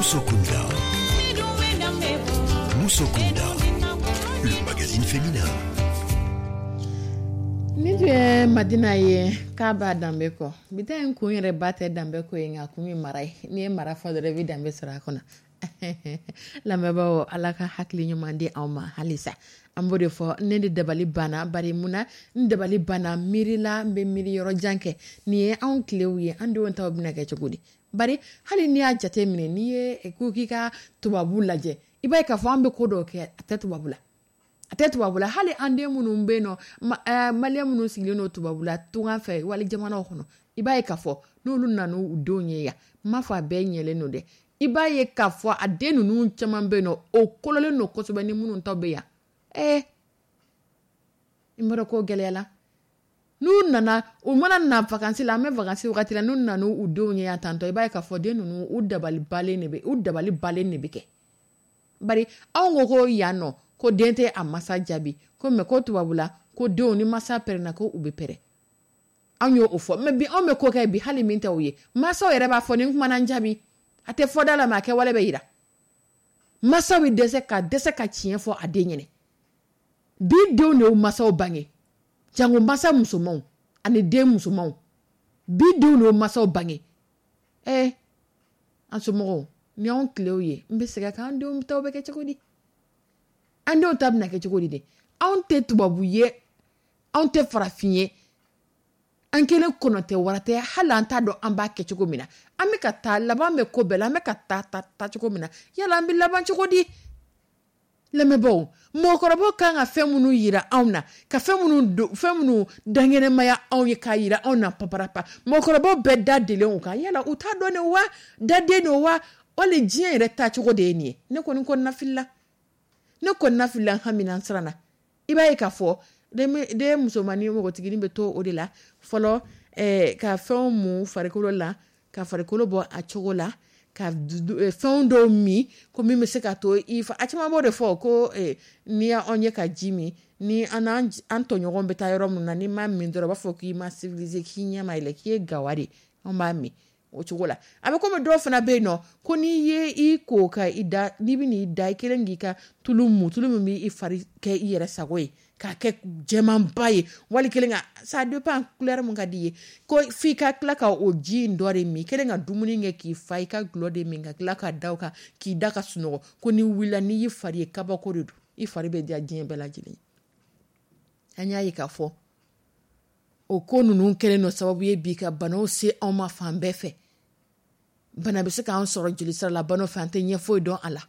Musokunda. Musokunda, le magazine féminin. Ni tun ye Madina ye k'a b'a danbe kɔ. Bi ta in kun yɛrɛ ba tɛ danbe ko ye, nka kun ye mara ye. N'i ye mara fɔ dɔrɔn, i bɛ danbe sɔrɔ a kɔnɔ. Lamɛnbaaw, Ala ka hakili ɲuman di anw ma halisa. An b'o de fɔ, ne de dabali banna. Bari mun na n dabali banna? Miirila n bɛ miiri yɔrɔ jan kɛ. Nin ye anw tilew ye, an denw taw bɛna kɛ cogo di? Bari hali n'i y'a jate minɛ, n'i ye ko k'i ka tubabu lajɛ, i b'a ye k'a fɔ an bɛ ko dɔw kɛ, a tɛ tubabu la, a tɛ tubabu la. Hali an den minnu bɛ yen nɔ, maliyɛn minnu sigilen don tubabu la, tunga fɛ, wali jamanaw kɔnɔ, I b'a ye k'a fɔ n'olu nana u denw ye yan, n m'a fɔ a bɛɛ ɲɛlen don dɛ, i b'a ye k'a fɔ a den ninnu caman bɛ yen nɔ, o kololen don kosɛbɛ ni minnu ta bɛ yan. I m'a dɔn ko gɛlɛyala. N'u nana, u mana na vacances la, an bɛ vacances wagati la, n'u nana u denw ye yan tantɔ, i b'a ye k'a fɔ den ninnu, u dabali balen de bɛ kɛ. Bari anw ko yan nɔ ko den tɛ a masa jaabi, ko mɛ ko tubabula ko denw ni masa pɛrɛnna ko u bɛ pɛrɛn. Anw y'o fɔ, mɛ bi anw bɛ ko kɛ bi hali min tɛ o ye. Mansaw yɛrɛ b'a fɔ ni n kumana n jaabi, a tɛ fɔ da la, mɛ a kɛwale bɛ yira. Mansaw bɛ dɛsɛ ka tiɲɛ fɔ a den ɲɛnɛ. Bi denw de y'u mansaw bange, jango mansa musomanw ani den musomanw. Bi denw de y'u mansaw bange. An somɔgɔw, ni anw tilew ye, n bɛ segin a kan, an denw taw bɛ kɛ cogo di? An denw ta bɛna kɛ cogo di de? Anw tɛ tubabu ye, anw tɛ farafin ye, an kelen kɔnɔ tɛ wara tɛ, hali an t'a dɔn an b'a kɛ cogo min na. An bɛ ka taa laban bɛ ko bɛɛ la, an bɛ ka taa taa cogo min na, yala an bɛ laban cogo di? Lamɛnbaaw, mɔgɔkɔrɔbaw kan ka fɛn minnu yira anw na, ka fɛn minnu dankɛnɛmaya anw ye k'a yira anw na paparapa, mɔgɔkɔrɔbaw bɛɛ da delen o kan. Yala u t'a dɔn de wa, daden don wa, wali diɲɛ yɛrɛ taacogo de ye nin ye? Ne kɔni kɔnɔna filila, ne kɔnɔna filila, n hamina, n siranna. I b'a ye k'a fɔ den musomannin npogotiginin bɛ to o de la fɔlɔ, ka fɛnw mun farikolo la, ka farikolo bɔ a cogo la, ka fɛnw dɔw min ko min bɛ se ka to i fa. A caman b'o de fɔ ko n'i y'anw ye ka ji min ni an n'an an tɔɲɔgɔnw bɛ taa yɔrɔ min na, n'i ma min dɔrɔn, u b'a fɔ k'i ma civilisé, k'i ɲɛ ma yɛlɛ, k'i ye gawa de. Anw b'a min o cogo la. A bɛ komi dɔw fana bɛ yen nɔ ko n'i ye i ko ka i da, n'i bɛ n'i da, i kelen k'i ka tulu mu, tulu min b'i fari kɛ i yɛrɛ sago ye, k'a kɛ jɛmanba ye, wali kelen ka, ça dépend couleur mun ka di i ye, ko f'i ka tila ka o ji in dɔ de min, i kelen ka dumuni kɛ k'i fa, i ka gulɔ de min, ka tila ka da o kan k'i da ka sunɔgɔ, ko n'i wulila, n'i y'i fari ye, kabako de don, i fari bɛ diya diɲɛ bɛɛ lajɛlen ye. An y'a ye k'a fɔ o ko ninnu kɛlen don sababu ye bi ka banaw se anw ma fan bɛɛ fɛ. Bana bɛ se k'an sɔrɔ joli sira la, banaw fɛ, an tɛ ɲɛ foyi dɔn a la,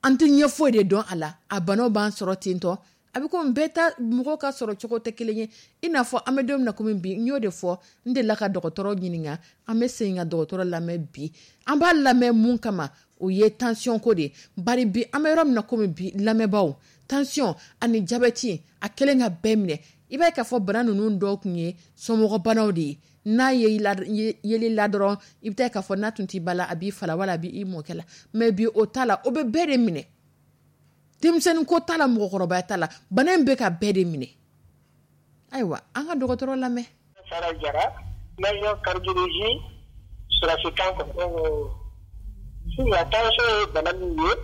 an tɛ ɲɛ foyi de dɔn a la. A banaw b'an sɔrɔ ten tɔ, a bɛ komi bɛɛ ta mɔgɔw ka sɔrɔ cogo tɛ kelen ye. I n'a fɔ an bɛ don min na komi bi, n y'o de fɔ, n delila ka dɔgɔtɔrɔ ɲininka. An bɛ segin ka dɔgɔtɔrɔ lamɛn bi. An b'a lamɛn mun kama? O ye tension ko de ye. Bari bi an bɛ yɔrɔ min na komi bi, lamɛnbaaw, tension ani diabète a kɛlen ka bɛɛ minɛ. I b'a ye k'a fɔ bana ninnu dɔw tun ye somɔgɔbanaw de ye. N'a ye yeli la dɔrɔn, i bɛ taa k'a fɔ n'a tun t'i ba la, a b'i fa la, wala a b'i mɔkɛ la. Mɛ bi o t'a la, o bɛ bɛɛ de minɛ, denmisɛnnin ko t'a la, mɔgɔkɔrɔbaya t'a la, bana in bɛ ka bɛɛ de minɛ. Ayiwa, an ka dɔgɔtɔrɔ lamɛn. Sara Jara, major cardiologie, sɔrɔsikan kɔnɔ. Sisan, tension ye bana min ye,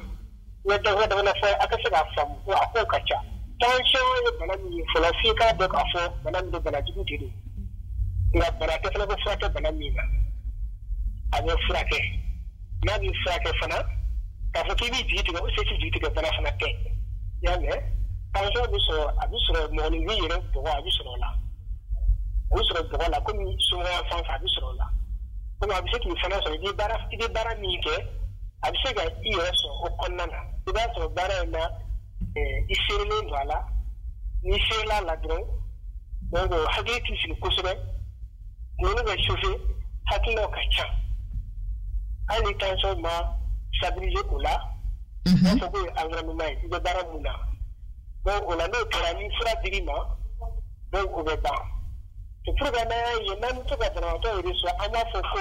n ye dama dama fɔ a ka se k'a faamu ko a kow ka ca. Tension ye bana min ye, fɔlɔ f'i k'a dɔn k'a fɔ bana min don, bana jugu de don, nka bana tɛ fana ko furakɛ bana min na. A bɛ furakɛ, n'a bɛ furakɛ fana, k'a fɔ k'i b'i jigi tigɛ o se t'i jigi tigɛ bana fana tɛ. I y'a mɛn, tension bɛ sɔrɔ, a bɛ sɔrɔ mɔgɔninfin yɛrɛ bɔgɔ, a bɛ sɔrɔ o la, a bɛ sɔrɔ bɔgɔ la, komi somɔgɔya fan fɛ a bɛ sɔrɔ o la, komi a bɛ se k'i fana sɔrɔ i bɛ baara min kɛ, a bɛ se ka i yɛrɛ sɔrɔ o kɔnɔna na. I b'a sɔrɔ baara in na, i seerelen don a la. N'i seerela a la dɔrɔn, donc hakili t'i sigi kosɛbɛ, kunkolo bɛ chauffer, hakilinaw ka ca. Hali ni tension ma stabiliser o la, u b'a fɔ k'o ye environnement ye, i bɛ baara mun na. Donc o la, n'o kɛra, ni fura dir'i ma, donc o bɛ ban. C'est pour que n'an y'a ye n'an bɛ to ka banabaatɔ yɛrɛ sɔrɔ, an b'a fɔ ko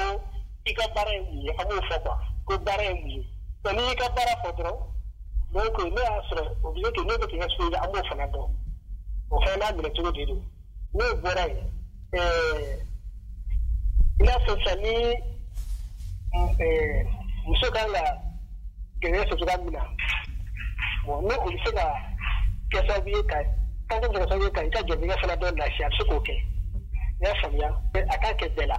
i ka baara ye mun ye, an b'o fɔ quoi, ko baara ye mun ye. Donc n'i y'i ka baara fɔ dɔrɔn, donc n'o y'a sɔrɔ o bɛ se k'o n'o bɛ k'i exposer, an b'o fana dɔn, o fana n'a minɛ cogo de don. N'o bɔra yen, i n'a fɔ sisan ni muso kan ka gɛlɛya sɔrɔ cogoya min na, bon, n'o o bɛ se ka kɛ sababu ye ka tension bɛ se ka kɛ sababu ye ka i ka garijɛgɛ fana dɔ lafiya, a bɛ se k'o kɛ. I y'a faamuya, a k'a kɛ bɛɛ la. I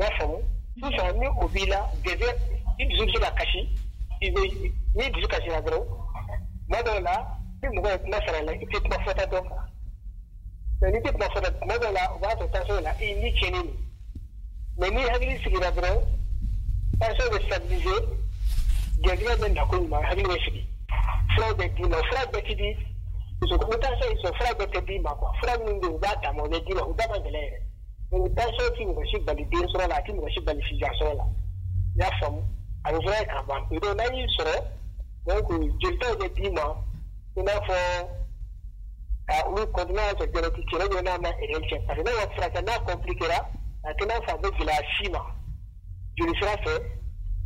y'a faamu, sisan ni o b'i la, garijɛgɛ, i dusu bɛ se ka kasi. I bɛ n'i dusu kasira dɔrɔn, tuma dɔw la ni mɔgɔ ye kuma sara la, i tɛ kuma fɔta dɔn kan. Mais n'i tɛ kuma fɔta, tuma dɔw la o b'a sɔrɔ tension la, i ni tiɲɛnen don. Mais n'i hakili sigira dɔrɔn, tension bɛ stabiliser, garijɛgɛ bɛ na ko ɲuman, hakili bɛ sigi, furaw bɛ d'i ma. Fura bɛɛ ti di. Muso ni tension y'i sɔrɔ, fura bɛɛ tɛ d'i ma quoi. Fura minnu bɛ yen, u b'a dama, o bɛ d'i ma, u da ka gɛlɛn yɛrɛ. Donc tension ti mɔgɔ si bali den sɔrɔ la, a ti mɔgɔ si bali sijan sɔrɔ la. I y'a faamu, a bɛ furakɛ ka ban pewu. Donc n'a y'i sɔrɔ, donc jolitaw bɛ d'i ma, i n'a fɔ ka olu kɔni n'a y'a sɔrɔ diabète cɛ ou bien n'a ma erreur kɛ, parce que n'a ma furakɛ, n'a compliquera, a tɛ n'a fɔ a bɛ gɛlɛya si ma jolisira fɛ,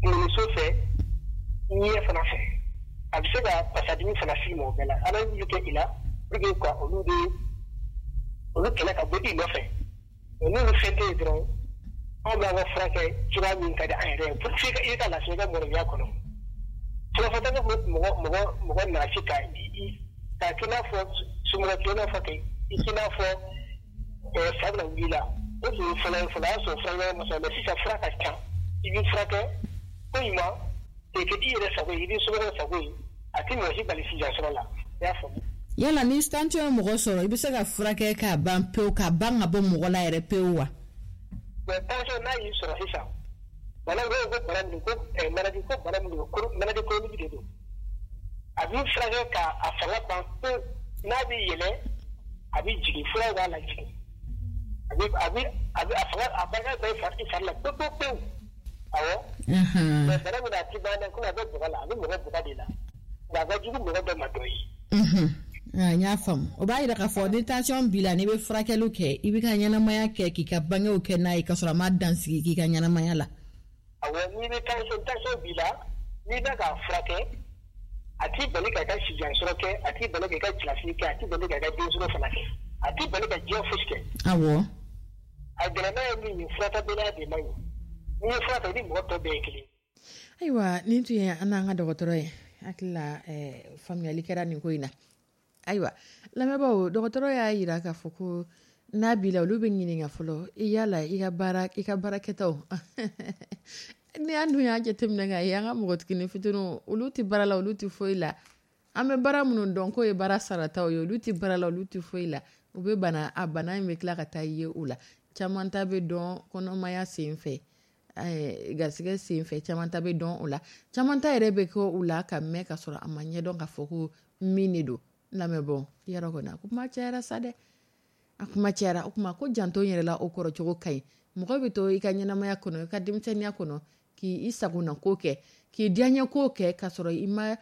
kunkoloso fɛ, ɲɛ fana fɛ. A bɛ se ka pasadimi fana s'i ma. O bɛɛ la, analyse bɛ kɛ i la pour que ka olu de olu kɛlɛ ka bɔ i nɔfɛ. N'olu fɛn tɛ yen dɔrɔn, anw b'an ka furakɛ cogoya min ka di an yɛrɛ ye pour que i ka lafiya i ka mɔgɔya kɔnɔ. Furafɔta bɛ mɔgɔ mɔgɔ mɔgɔ nasi ka i k'a k'i n'a fɔ somɔgɔ k'i n'a fɔ k'i k'i n'a fɔ fa bɛna wuli la. O tun ye fɔlɔ ye, fɔlɔ y'a sɔrɔ fura ɲɛnama ma sɔrɔ, mais sisan fura ka ca. I b'i furakɛ ko ɲuman k'i kɛ i yɛrɛ sago ye, i b'i somɔgɔw sago ye, a tɛ mɔgɔ si bali sijan sɔrɔ la. I y'a faamu? Yala ni tension ye mɔgɔ sɔrɔ, i bɛ se ka furakɛ k'a ban pewu, k'a ban ka bɔ mɔgɔ la yɛrɛ pewu wa? Mais tension n'a y'i sɔrɔ sisan, bana ko bana min ko maladie ko bana min don, maladie chronique de don. A b'i furakɛ k'a a fanga ban pewu. N'a bɛ yɛlɛ, a bɛ jigin, furaw b'a lajigin. A bɛ a fanga a barika bɛɛ i fari la pewu pewu pewu. Awɔ. Mais bana min, a ti ban dɛ, komi a bɛ bɔgɔ la, a bɛ mɔgɔ bɔgɔ de la, nka a ka jugu mɔgɔ dɔ ma dɔ ye. N y'a faamu. O b'a yira k'a fɔ ni tension b'i la, n'i bɛ furakɛliw kɛ, i bɛ ka ɲɛnamaya kɛ, k'i ka bangew kɛ n'a ye, k'a sɔrɔ a ma dansigi k'i ka ɲɛnamaya la. Awɔ, n'i bɛ tension b'i la, n'i bɛ k'a furakɛ, a t'i bali k'a ka sijan sɔrɔ kɛ, a t'i bali k'i ka cɛlasigi kɛ, a t'i bali k'a ka den sɔrɔ fana kɛ, a t'i bali ka diɲɛ fosi kɛ. A gɛlɛma ye min ye, furatabaliya de man ɲi. N'i ye fura ta, i ni mɔgɔ tɔ bɛɛ ye kelen. Ayiwa, nin tun ye an n'an ka dɔgɔtɔrɔ ye. Hakili la, faamuyali kɛra nin ko in na. Ayiwa, lamɛnbaaw, dɔgɔtɔrɔ y'a yira k'a fɔ ko n'a b'i la, olu bɛ ɲininka fɔlɔ i yala i ka baara, i ka baarakɛtaw. Ni an dun y'a jateminɛ k'a ye, an ka npogotiginin fitininw, olu tɛ baara la, olu tɛ foyi la. An bɛ baara minnu dɔn k'o ye baara sarataw ye, olu tɛ baara la, olu tɛ foyi la. U bɛ bana, a bana in bɛ tila ka taa ye u la. Caman ta bɛ dɔn kɔnɔmaya sen fɛ, garisɛgɛ sen fɛ, caman ta bɛ dɔn o la, caman ta yɛrɛ bɛ kɛ u la ka mɛn ka sɔrɔ a ma ɲɛdɔn k'a fɔ ko min de don. Lamɛnbaaw, yɔrɔ kɔni a kuma cayara sa dɛ, a kuma cayara. O kuma ko janto yɛrɛ la, o kɔrɔ cogo ka ɲi. Mɔgɔ bɛ to i ka ɲɛnamaya kɔnɔ, i ka denmisɛnninya kɔnɔ, k'i sagona ko kɛ, k'i diyaɲɛ ko kɛ, k'a sɔrɔ i ma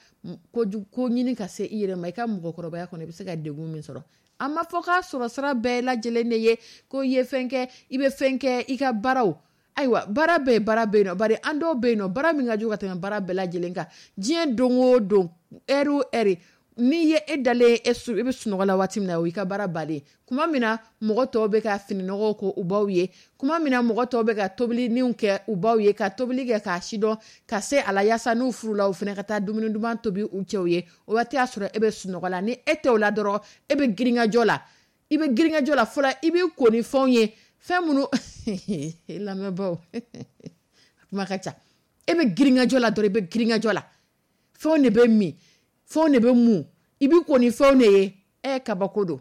ko ɲini ka se i yɛrɛ ma. I ka mɔgɔkɔrɔbaya kɔnɔ, i bɛ se ka degun min sɔrɔ. An ma fɔ k'a sɔrɔ sira bɛɛ lajɛlen de ye ko i ye fɛn kɛ, i bɛ fɛn kɛ i ka baaraw. Ayiwa, baara bɛɛ baara bɛ yen nɔ, bari an dɔw bɛ yen nɔ, baara min ka jugu ka tɛmɛ baara bɛɛ lajɛlen kan diɲɛ don o don, ɛri o ɛri, n'i ye e dalen, e i bɛ sunɔgɔ la waati min na, o y'i ka baara bannen. Kuma min na mɔgɔ tɔw bɛ ka fininɔgɔw ko u baw ye, kuma min na mɔgɔ tɔw bɛ ka tobiliniw kɛ u baw ye, ka tobili kɛ k'a sidɔn ka se a la, yaasa n'u furula, u fana ka taa dumuni duman tobi u cɛw ye, o waati y'a sɔrɔ e bɛ sunɔgɔ la. Ni e tɛ o la dɔrɔn, e bɛ girinkajɔ la, i bɛ girinkajɔ la fɔlɔ, i b'i ko ni fɛnw ye, fɛn minnu, lamɛnbaaw, kuma ka ca. E bɛ girinkajɔ la dɔrɔn, i bɛ girinkajɔ la, fɛnw de bɛ min, fɛnw de bɛ mun, i b'i ko ni fɛnw de ye. Ɛ, kabako don,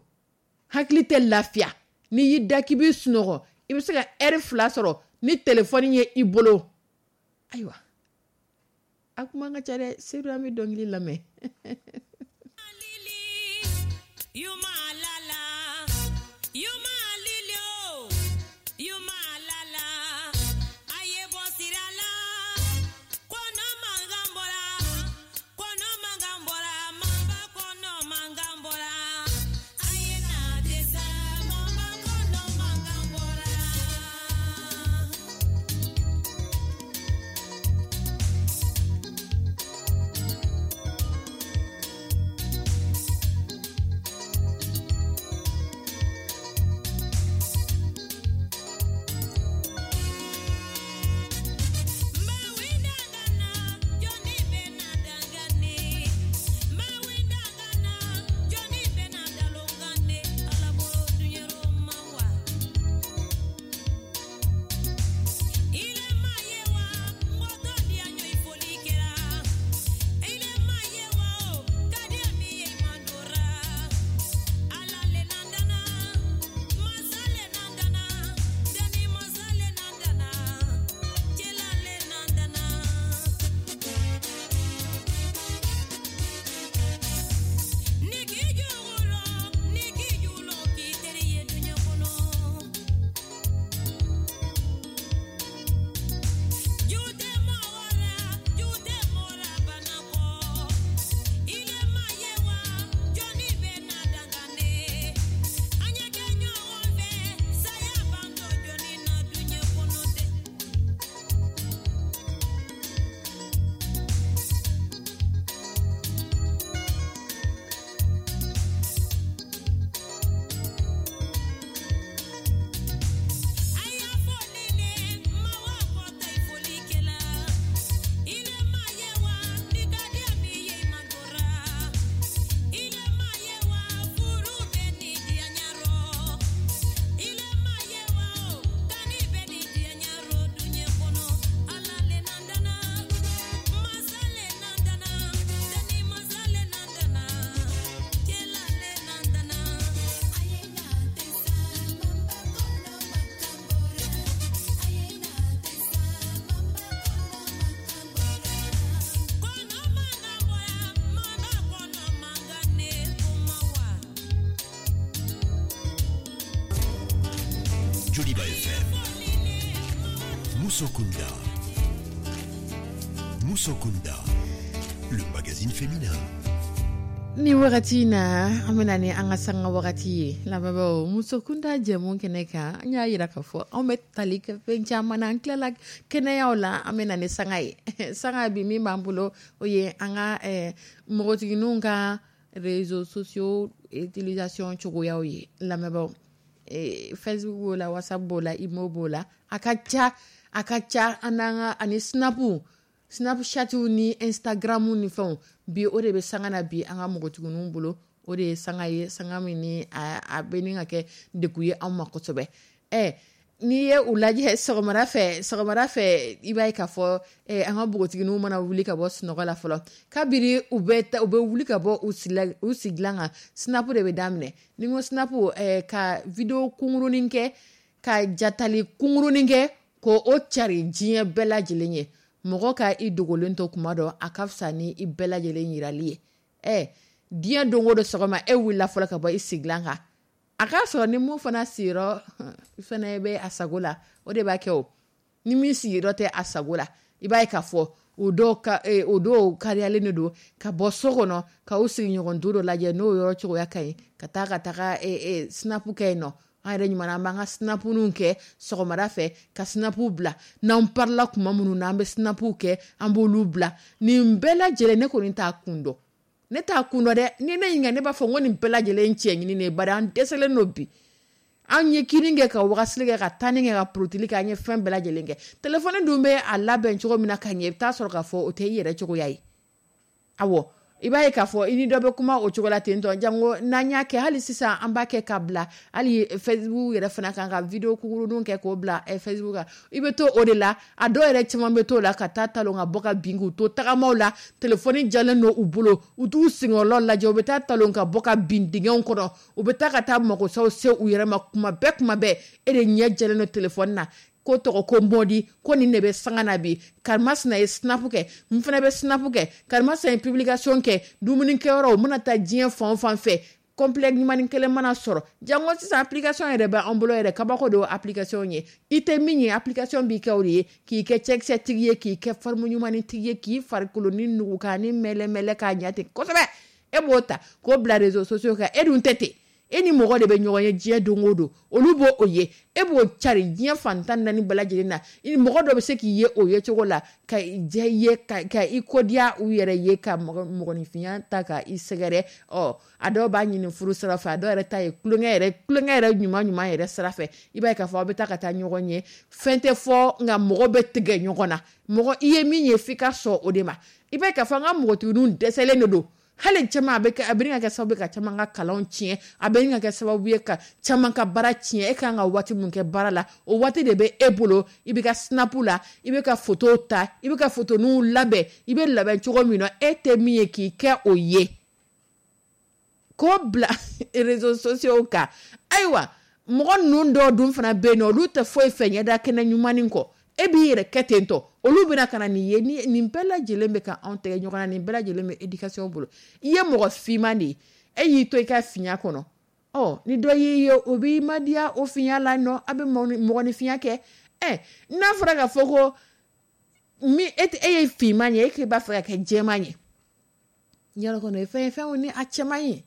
hakili tɛ lafiya. N'i y'i da k'i b'i sunɔgɔ, i bɛ se ka ɛri 2 sɔrɔ ni telefɔni ye i bolo. Ayiwa, a kuma ka ca dɛ. Sedu, an bɛ dɔnkili lamɛn. Joliba FM. Musokunda. Musokunda, le magazine féminin. Ni wagati in na, an bɛna ni an ka sanga wagati ye. Lamɛnbaaw, Musokunda jɛmu kɛnɛ kan, an y'a yira k'a fɔ anw bɛ tali kɛ fɛn caman na. An tilala kɛnɛyaw la, an bɛ na ni sanga ye. Sanga bi min b'an bolo, o ye an ka npogotigininw ka réseaux sociaux utilisation cogoyaw ye. Lamɛnbaaw, Facebook b'o la, WhatsApp b'o la, Imo b'o la, a ka ca, a ka ca. An n'an ka ani Snap, Snapchat ni Instagram ni fɛnw bi, o de bɛ sanga na bi an ka npogotigininw bolo. O de ye sanga ye, sanga min ni a bɛ ni ka kɛ degun ye anw ma kosɛbɛ. N'i ye u lajɛ sɔgɔmada fɛ, i b'a ye k'a fɔ an ka npogotigininw mana wuli ka bɔ sunɔgɔ la fɔlɔ, kabiri u bɛ u bɛ wuli ka bɔ u sigilan kan, Snap de bɛ daminɛ. Ni n ko Snap, ka vidéo kunkurunin kɛ, ka jatali kunkurunin kɛ, ko o cari diɲɛ bɛɛ lajɛlen ye. Mɔgɔ ka i dogolen to kuma dɔ, a ka fisa ni i bɛɛ lajɛlen yirali ye. Diɲɛ don o don sɔgɔma, e wulila fɔlɔ ka bɔ i sigilan kan, a k'a sɔrɔ ni mun fana sigiyɔrɔ fana bɛ a sago la, o de b'a kɛ. O ni min sigiyɔrɔ tɛ a sago la, i b'a ye k'a fɔ o dɔw ka o dɔw kariyalen de don ka bɔ so kɔnɔ ka u sigiɲɔgɔn du dɔ lajɛ, n'o yɔrɔ cogoya ka ɲi, ka taa ka taga Snap kɛ yen nɔ. An yɛrɛ ɲuman, an b'an ka Snapninw kɛ sɔgɔmada fɛ, ka Snapw bila. N'an parila kuma minnu na, an bɛ Snapw kɛ, an b'olu bila. Nin bɛɛ lajɛlen, ne kɔni t'a kun dɔn, ne t'a kun dɔn dɛ. Ni ne ɲininka, ne b'a fɔ n ko nin bɛɛ lajɛlen cɛ ɲini de ye, bari an dɛsɛlen don bi. An ye kini kɛ, ka wagasili kɛ, ka tanni kɛ, ka porotili kɛ, an ye fɛn bɛɛ lajɛlen kɛ. Telefɔni dun bɛ a labɛn cogo min na ka ɲɛ, i bɛ taa sɔrɔ k'a fɔ o tɛ i yɛrɛ cogoya ye. Awɔ, i b'a ye k'a fɔ i ni dɔ bɛ kuma o cogo la ten tɔ. Jango n'an y'a kɛ hali sisan, an b'a kɛ ka bila hali Facebook yɛrɛ fana kan, ka vidéo kunkuruninw kɛ k'o bila Facebook kan. I bɛ to o de la. A dɔw yɛrɛ caman bɛ to o la ka taa talon ka bɔ ka bin, k'u to tagamaw la, telefɔni jalen don u bolo, u t'u senkɔrɔlaw lajɛ. U bɛ taa talon ka bɔ ka bin dingɛw kɔnɔ, u bɛ taa ka taa magosaw se u yɛrɛ ma kuma bɛɛ, kuma bɛɛ. E de ɲɛ jɛlen don telefɔni na, ko tɔgɔ ko mɔdi, ko nin de bɛ sanga na bi. Karimasina ye Snap kɛ, n fana bɛ Snap kɛ. Karimasina ye publication kɛ dumunikɛyɔrɔ, u mana taa diɲɛ fan o fan fɛ, complet ɲumanni kelen mana sɔrɔ. Jango sisan, application yɛrɛ bɛ an bolo yɛrɛ, kabako don application ye. I tɛ min ye, application b'i kɛ o de ye, k'i kɛ cɛkisɛtigi ye, k'i kɛ forme ɲumanni tigi ye, k'i farikolo ni nugu k'a ni mɛlɛmɛlɛ k'a ɲɛ ten kosɛbɛ. E b'o ta k'o bila réseaux sociaux kan. E dun tɛ ten. E ni mɔgɔ de bɛ ɲɔgɔn ye diɲɛ don o don, olu b'o o ye, e b'o cari diɲɛ fan 14 bɛɛ lajɛlen na. I mɔgɔ dɔ bɛ se k'i ye o ye cogo la ka diya i ye, ka i kodiya u yɛrɛ ye, ka mɔgɔninfinya ta ka i sɛgɛrɛ. Ɔ, a dɔw b'a ɲini furu sira fɛ, a dɔw yɛrɛ ta ye tulonkɛ yɛrɛ, tulonkɛ yɛrɛ ɲuman ɲuman yɛrɛ sira fɛ. I b'a ye k'a fɔ aw bɛ taa ka taa ɲɔgɔn ye, fɛn tɛ fɔ, nka mɔgɔ bɛ tigɛ ɲɔgɔn na. Mɔgɔ i ye min ye, f'i ka sɔn o de ma. I b'a ye k'a fɔ an ka npogotigininw dɛsɛlen de don hali caman. A bɛ kɛ, a bɛ ka kɛ sababu ye ka caman ka kalanw tiɲɛ, a bɛ ka kɛ sababu ye ka caman ka baara tiɲɛ. E kan ka waati mun kɛ baara la, o waati de bɛ e bolo, i bɛ ka Snap la, i bɛ ka photo ta, i bɛ ka photoninw labɛn. I bɛ labɛn cogo min na, e tɛ min ye, k'i kɛ o ye k'o bila réseaux sociaux kan. Ayiwa, mɔgɔ ninnu dɔw dun fana bɛ yen nɔ, olu tɛ foyi fɛ ɲɛda kɛnɛ ɲumannin kɔ. E b'i yɛrɛ kɛ ten tɔ, olu bɛna ka na nin ye. Ni nin bɛɛ lajɛlen bɛ ka anw tɛgɛ ɲɔgɔn na, nin bɛɛ lajɛlen bɛ éducation bolo. I ye mɔgɔ finman de ye, e y'i to i ka finya kɔnɔ. Ɔ, ni dɔ y'i ye, o b'i madiya o finya la nɔ, a bɛ mɔgɔninfinya kɛ. N'a fɔra k'a fɔ ko min e e ye finman ye, e k'e b'a fɛ ka kɛ jɛman ye, yɔrɔ kɔni o ye fɛn ye, fɛn ni a cɛ man ɲi.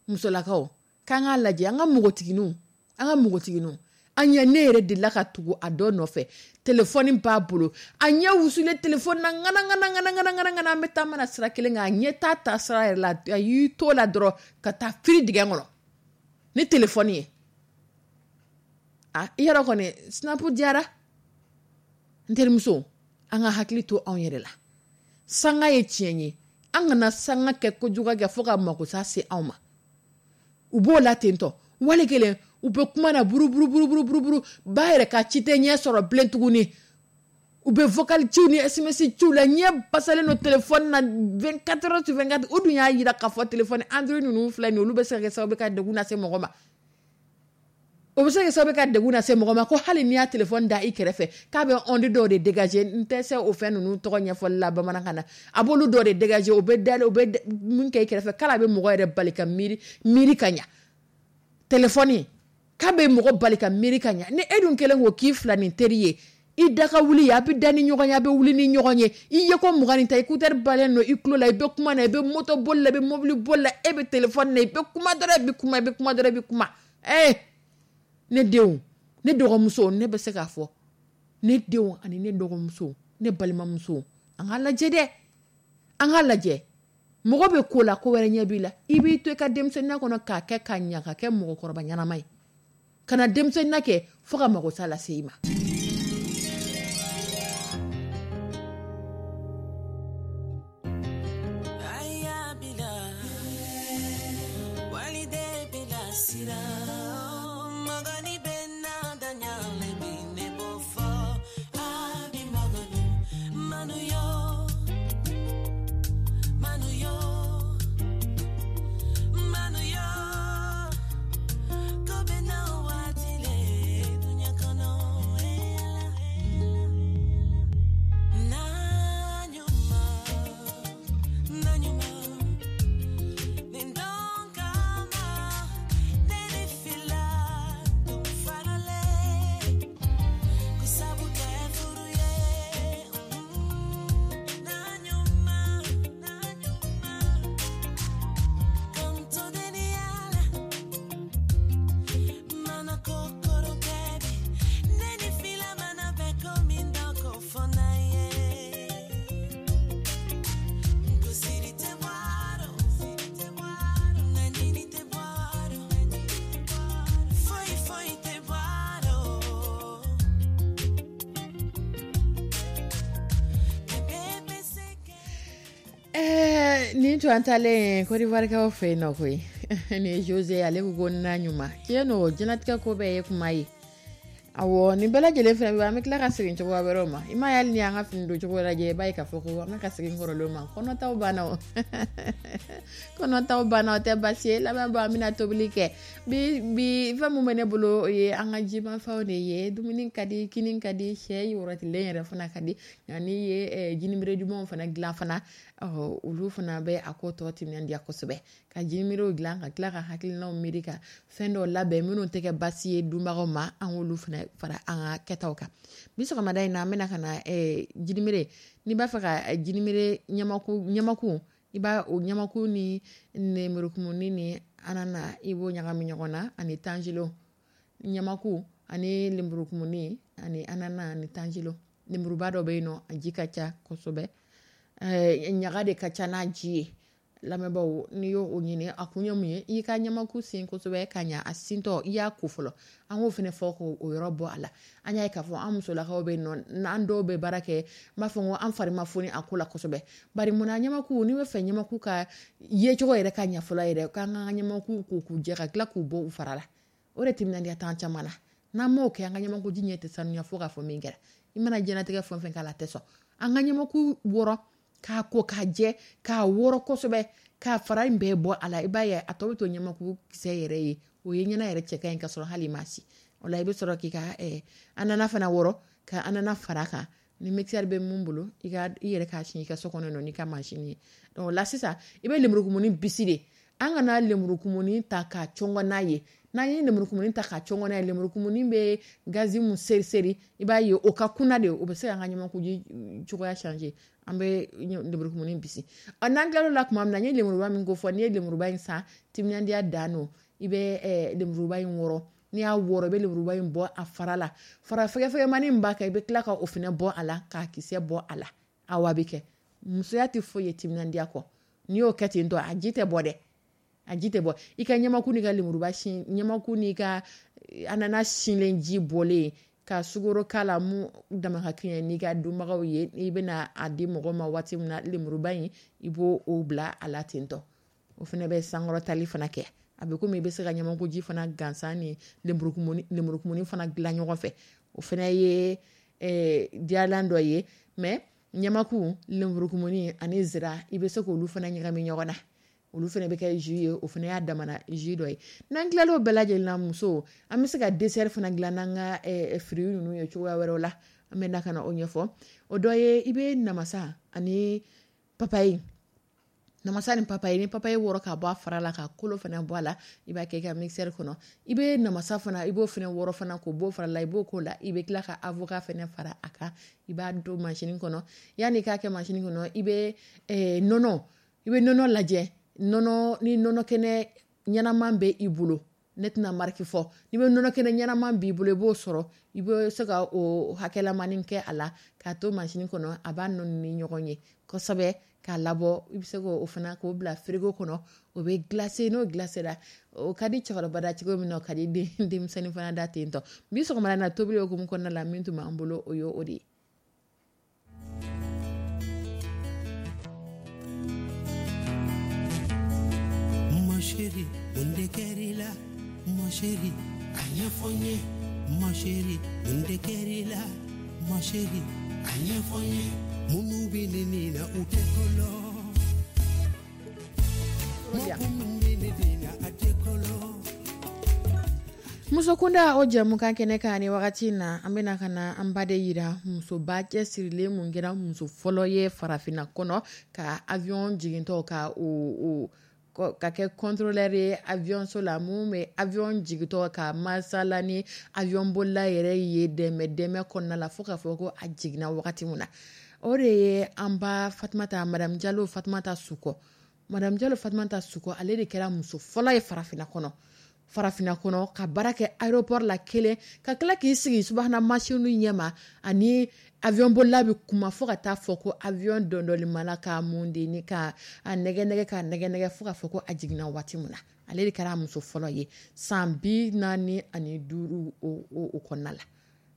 Musolakaw, k'an k'a lajɛ, an ka npogotigininw, an ka npogotigininw, an ɲɛ. Ne yɛrɛ delila ka tugu a dɔ nɔfɛ, telefɔni b'a bolo, a ɲɛ wusulen telefɔni na ŋana ŋana ŋana ŋana ŋana ŋana. An bɛ taa mana sira kelen kan, a ɲɛ t'a ta sira yɛrɛ la, a y'i to la dɔrɔn ka taa firi dingɛ kɔnɔ ni telefɔni ye. A i yɛrɛ kɔni, Snap diyara. N terimuso, an ka hakili to anw yɛrɛ la. Sanga ye tiɲɛ ye, an kana sanga kɛ kojugu kɛ fo ka makosa se anw ma. U b'o la ten tɔ, wali kelen u bɛ kuma na buruburuburuburuburu, ba yɛrɛ ka ci tɛ ɲɛ sɔrɔ bilen tuguni. U bɛ vocal ciw ni SMS ciw la, ɲɛ basalen don téléphone na 24 heures sur 24. U dun y'a yira k'a fɔ téléphone Android ninnu filɛ nin ye, olu bɛ se ka kɛ sababu ye ka degun lase mɔgɔ ma. O bɛ se ka kɛ sababu ye ka degun lase mɔgɔ ma, ko hali n'i y'a téléphone da i kɛrɛfɛ, k'a bɛ onde dɔw de dégager. N tɛ se o fɛn ninnu tɔgɔ ɲɛfɔli la bamanankan na. A b'olu dɔw de dégager, o bɛ da, o bɛ mun kɛ i kɛrɛfɛ, k'ale bɛ mɔgɔ yɛrɛ bali ka miiri miiri ka ɲa. Téléphone K'a bɛ mɔgɔ bali ka miiri ka ɲa. Ni e dun kɛlen ko k'i fila ni teri ye, i da ka wuli, a bɛ da ni ɲɔgɔn ye, a bɛ wuli ni ɲɔgɔn ye, i ye ko 20 ta, écouteur balen don i tulo la, i bɛ kuma na, i bɛ moto boli la, i bɛ mobili boli la, e bɛ téléphone na, i bɛ kuma dɔrɔn, i bɛ kuma, i bɛ kuma dɔrɔn, i bɛ kuma. Ne denw, ne dɔgɔmuso, ne bɛ se k'a fɔ ne denw ani ne dɔgɔmuso, ne balimamuso, an k'a lajɛ dɛ, an k'a lajɛ. Mɔgɔ bɛ ko la, ko wɛrɛ ɲɛ b'i la, i b'i to i ka denmisɛnninya kɔnɔ k'a kɛ ka ɲa, ka kɛ mɔgɔkɔrɔba ɲɛnama ye, ka na denmisɛnninya kɛ fo ka mago sa lase i ma. Nin to an taalen Côte d'Ivoire fɛ yen nɔ koyi, ni Jose ale ko na ɲuman tiɲɛ don, diɲɛlatigɛ ko bɛɛ ye kuma ye. Awɔ, nin bɛɛ lajɛlen fɛnɛ bɛ, an bɛ tila ka segin cogoya wɛrɛw ma. I m'a ye, hali ni y'an ka fini don cogo lajɛ, i b'a ye k'a fɔ ko an bɛ ka segin kɔrɔlenw ma. Kɔnɔtaw banna o, kɔnɔtaw banna, o tɛ baasi ye. Lamɛnbaa, an bɛna tobili kɛ bi. Bi fɛn min bɛ ne bolo, o ye an ka jimafɛnw de ye. Dumuni ka di, kini ka di, sɛ wɔrɔtilen yɛrɛ fana ka di, nka n'i ye jinimere dumanw fana dilan fana, olu fana bɛ a ko tɔ timinandiya kosɛbɛ. Ka jinimirew dilan ka tila ka hakilinaw miiri ka fɛn dɔw labɛn minnu tɛ kɛ baasi ye dunbagaw ma, an k'olu fana fara an ka kɛtaw kan. Bi sɔgɔmada in na, an bɛna ka na jinimere. N'i b'a fɛ ka jinimere ɲamaku, i b'a o ɲamaku ni nemurukumuni ni anana, i b'o ɲagami ɲɔgɔn na, ani tanjilo. Ɲamaku ani lemurukumuni ani anana ani tanjilo. Lemuruba dɔ bɛ yen nɔ, a ji ka ca kosɛbɛ, ɲaga de ka ca n'a ji ye. Lamɛnbaaw, n'i y'o ɲini, a kun ye mun ye? I ka ɲamaku sen kosɛbɛ ka ɲa, a sintɔ i y'a ko fɔlɔ, an k'o fana fɔ k'o yɔrɔ bɔ a la. An y'a ye k'a fɔ an musolakaw bɛ yen nɔ, n'an dɔw bɛ baara kɛ, n b'a fɔ ko an fari ma foni a ko la kosɛbɛ. Bari munna ɲamaku, n'i bɛ fɛ ɲamaku ka yecogo yɛrɛ ka ɲa fɔlɔ yɛrɛ, k'an ka ɲamaku ko k'u jɛ ka tila k'u bɔ u fara la, o de timinandiya t'an caman na. N'an m'o kɛ, an ka ɲamaku ji ɲɛ tɛ sanuya fo k'a fɔ min kɛra. I mana diɲɛlatigɛ fɛn o fɛn k'a la, a tɛ sɔn. An ka ɲamaku wɔrɔ k'a ko k'a jɛ, k'a wɔrɔ kosɛbɛ, k'a fara in bɛɛ bɔ a la, i b'a ye a tɔ bɛ to ɲamaku kisɛ yɛrɛ ye, o ye ɲɛna yɛrɛ cɛ ka ɲi ka sɔrɔ hali ma si. O la i bɛ sɔrɔ k'i ka anana fana wɔrɔ ka anana fara kan. Ni mixeur bɛ mun bolo, i ka i yɛrɛ k'a sin i ka so kɔnɔ nɔ n'i ka machine ye. Donc o la sisan, i bɛ lemurukumuni bisi de. An kana lemurukumuni ta k'a cɔngɔ n'a ye. N'an ye lemurukumuni ta k'a cɔngɔ n'a ye, lemurukumuni bɛ gazi mun seri seri, i b'a ye o ka kunna de, o bɛ se k'an ka ɲamakuji cogoya changer. An bɛ lemurukumuni bisi. N'an tilal'o la tuma min na, n ye lemuruba min ko fɔ, n'i ye lemuruba in san, timinandiya dan don, i bɛ lemuruba in wɔrɔ. N'i y'a wɔrɔ, i bɛ lemuruba in bɔ a fara la. Fara fɛgɛfɛgɛmani min b'a kan, i bɛ tila ka o fana bɔ a la, k'a kisɛ bɔ a la. Awɔ, a bɛ kɛ. Musoya tɛ foyi ye timinandiya kɔ. N'i y'o kɛ ten tɔ, a ji tɛ bɔ dɛ, a ji tɛ bɔ. I ka ɲamaku n'i ka lemuruba sin, ɲamaku n'i ka anana sinlen ji bɔlen, ka sukaro k'a la mun dama ka kɛɲɛ n'i ka dunbagaw ye, i bɛna a di mɔgɔ ma waati min na, lemuruba in i b'o o bila a la ten tɔ. O fana bɛ sankɔrɔtali fana kɛ. A bɛ komi i bɛ se ka ɲamakuji fana gansan ni lemurukumuni fana dilan ɲɔgɔn fɛ. O fana ye diyalan dɔ ye. Mais ɲamaku, lemurukumuni ani zira, i bɛ se k'olu fana ɲagami ɲɔgɔn na. Olu fana bɛ kɛ jus ye, o fana y'a damana jus dɔ ye. N'an tilal'o bɛɛ lajɛlen na, muso, an bɛ se ka dessert fana dilan n'an ka fruits ninnu ye cogoya wɛrɛw la. An bɛ na ka na o ɲɛfɔ. O dɔ ye, i bɛ namasa ani papaye, Namasa ni papaye, ni papaye wɔrɔ ka bɔ a fara la, ka kolo fana bɔ a la, i b'a kɛ i ka mixeur kɔnɔ. I bɛ namasa fana, i b'o fana wɔrɔ fana k'o bɔ fara la, i b'o k'o la. I bɛ tila ka avocat fana fara a kan, i b'a don mansin kɔnɔ. Yanni i k'a kɛ mansin kɔnɔ, i bɛ nɔnɔ, i bɛ nɔnɔ lajɛ, nɔnɔ ni nɔnɔ kɛnɛ ɲɛnaman bɛ i bolo, ne tɛna marque fɔ, n'i bɛ nɔnɔ kɛnɛ ɲɛnaman b'i bolo, i b'o sɔrɔ, i bɛ se ka o hakɛlamanin kɛ a la k'a to mansin kɔnɔ, a b'a nɔɔni ni ɲɔgɔn ye kosɛbɛ k'a labɔ. I bɛ se k'o fana k'o bila frigo kɔnɔ, o bɛ glacer. N'o glacera, o ka di cɛkɔrɔba da cogo min na, o ka di denmisɛnnin fana da ten tɔ. Bi sɔgɔmada na, tobili hukumu kɔnɔna la, min tun b'an bolo, o ye o de ye. Ma chérie, mun de kɛr'i la? Ma chérie, a ɲɛfɔ n ye. Ma chérie, mun de kɛr'i la? Ma chérie, a ɲɛfɔ n ye. Minnu bɛ ne nin na, u tɛ kɔlɔ. Mɔgɔ min bɛ ne den na, a tɛ kɔlɔ. Musokunda, o jɛmukan kɛnɛ kan ni wagati in na, an bɛna ka na an ba de yira, musoba cɛsirilen mun kɛra muso fɔlɔ ye farafinna kɔnɔ ka avion jigintɔ ka o ka kɛ contrôleur ye avion so la, mun bɛ avion jigintɔ ka masala ni avion bolila yɛrɛ ye dɛmɛ dɛmɛ kɔnɔna la, fo k'a fɔ ko a jiginna wagati min na. O de ye an ba Fatumata, Madame Jalo Fatumata Sukɔ. Madame Jalo Fatumata Sukɔ, ale de kɛra muso fɔlɔ ye farafinna kɔnɔ ka baara kɛ aéroport la kelen, ka tila k'i sigi subahana mansinw ɲɛma ani avion bolila bɛ kuma, fo ka taa fɔ ko avion dɔndɔlimala ka mun de ni ka a nɛgɛ nɛgɛ ka nɛgɛ nɛgɛ, fo k'a fɔ ko a jiginna waati min na. Ale de kɛra muso fɔlɔ ye san 45 o kɔnɔna la.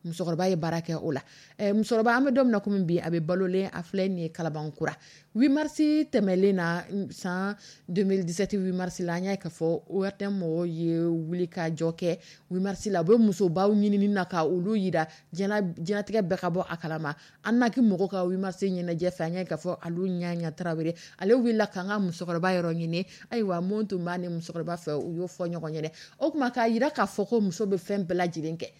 Musokɔrɔba ye baara kɛ o la. Musokɔrɔba, an bɛ don min na komi bi, a bɛ balolen, a filɛ nin ye Kalabankura. 8 mars tɛmɛlen na, san 2017 8 mars la, an y'a ye k'a fɔ ORTM mɔgɔw ye wuli ka jɔ kɛ 8 mars la. U bɛ musobaw ɲinini na ka olu yira diɲɛlatigɛ bɛɛ ka bɔ a kalama. An na k'i mɔgɔw ka 8 mars ɲɛnajɛ fɛ, an y'a ye k'a fɔ Alu Ɲaɲa Tarawele, ale wulila k'an ka musokɔrɔba yɔrɔ ɲini. Ayiwa, mun tun b'a ni musokɔrɔba fɛ, u y'o fɔ ɲɔgɔn ɲɛna. O tuma k'a yira k'a fɔ ko muso bɛ fɛn bɛɛ lajɛlen kɛ,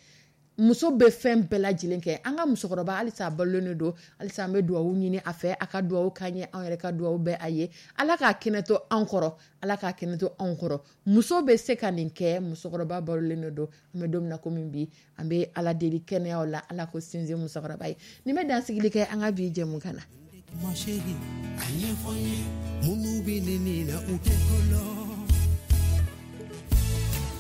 muso bɛ fɛn bɛɛ lajɛlen kɛ. An ka musokɔrɔba halisa a balolen don, halisa an bɛ dugawu ɲini a fɛ, a ka dugawu k'an ye, anw yɛrɛ ka dugawu bɛ a ye. Ala k'a kɛnɛ to an kɔrɔ, Ala k'a kɛnɛ to anw kɔrɔ. Muso bɛ se ka nin kɛ, musokɔrɔba balolen don. An bɛ don min na komi bi, an bɛ Ala deli kɛnɛyaw la, Ala ko sinsin musokɔrɔba ye. Nin bɛ dansigili kɛ an ka bi jɛmukan na. Ma chérie, a ɲɛfɔ n ye. Minnu bɛ ne nin na, u tɛ kɔlɔ.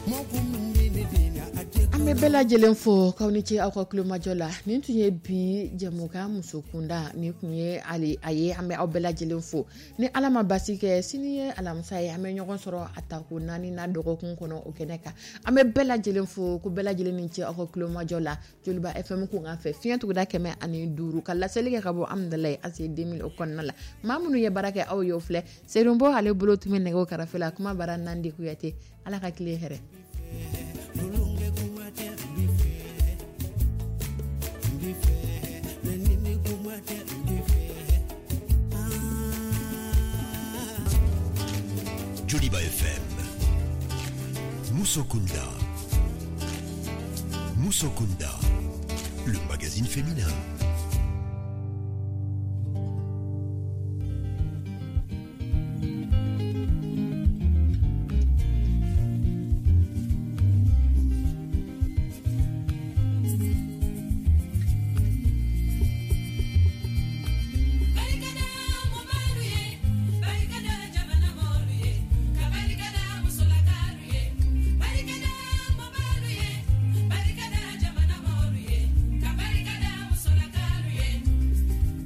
Mɔgɔ min bɛ ne den na, a tɛ An bɛ bɛɛ lajɛlen fo k'aw ni ce aw ka kulomajɔ la. Nin tun ye bi jɛmukan musokunda, nin tun ye ale a ye. An bɛ aw bɛɛ lajɛlen fo. Ni Ala ma basi kɛ, sini ye alamisa ye, an bɛ ɲɔgɔn sɔrɔ a tako 4 na dɔgɔkun kɔnɔ o kɛnɛ kan. An bɛ bɛɛ lajɛlen fo ko bɛɛ lajɛlen ni ce aw ka kulomajɔ la. Joliba FM kunkan fɛ, fiɲɛ tuguda 105, ka laseli kɛ ka bɔ Amudalayi ACI 2000 o kɔnɔna la. Maa minnu ye baara kɛ aw ye, o filɛ: Serunbo, ale bolo tun bɛ nɛgɛw karafe la, kuma bara Nandi Kuyate. Ala ka tile hɛrɛ. Tulonkɛ kuma tɛ n b'i fɛ, n b'i fɛ, mɛ ni ne kuma tɛ n b'i fɛ. Ah. Joliba FM. Musokunda. Musokunda. Le magazine féminin.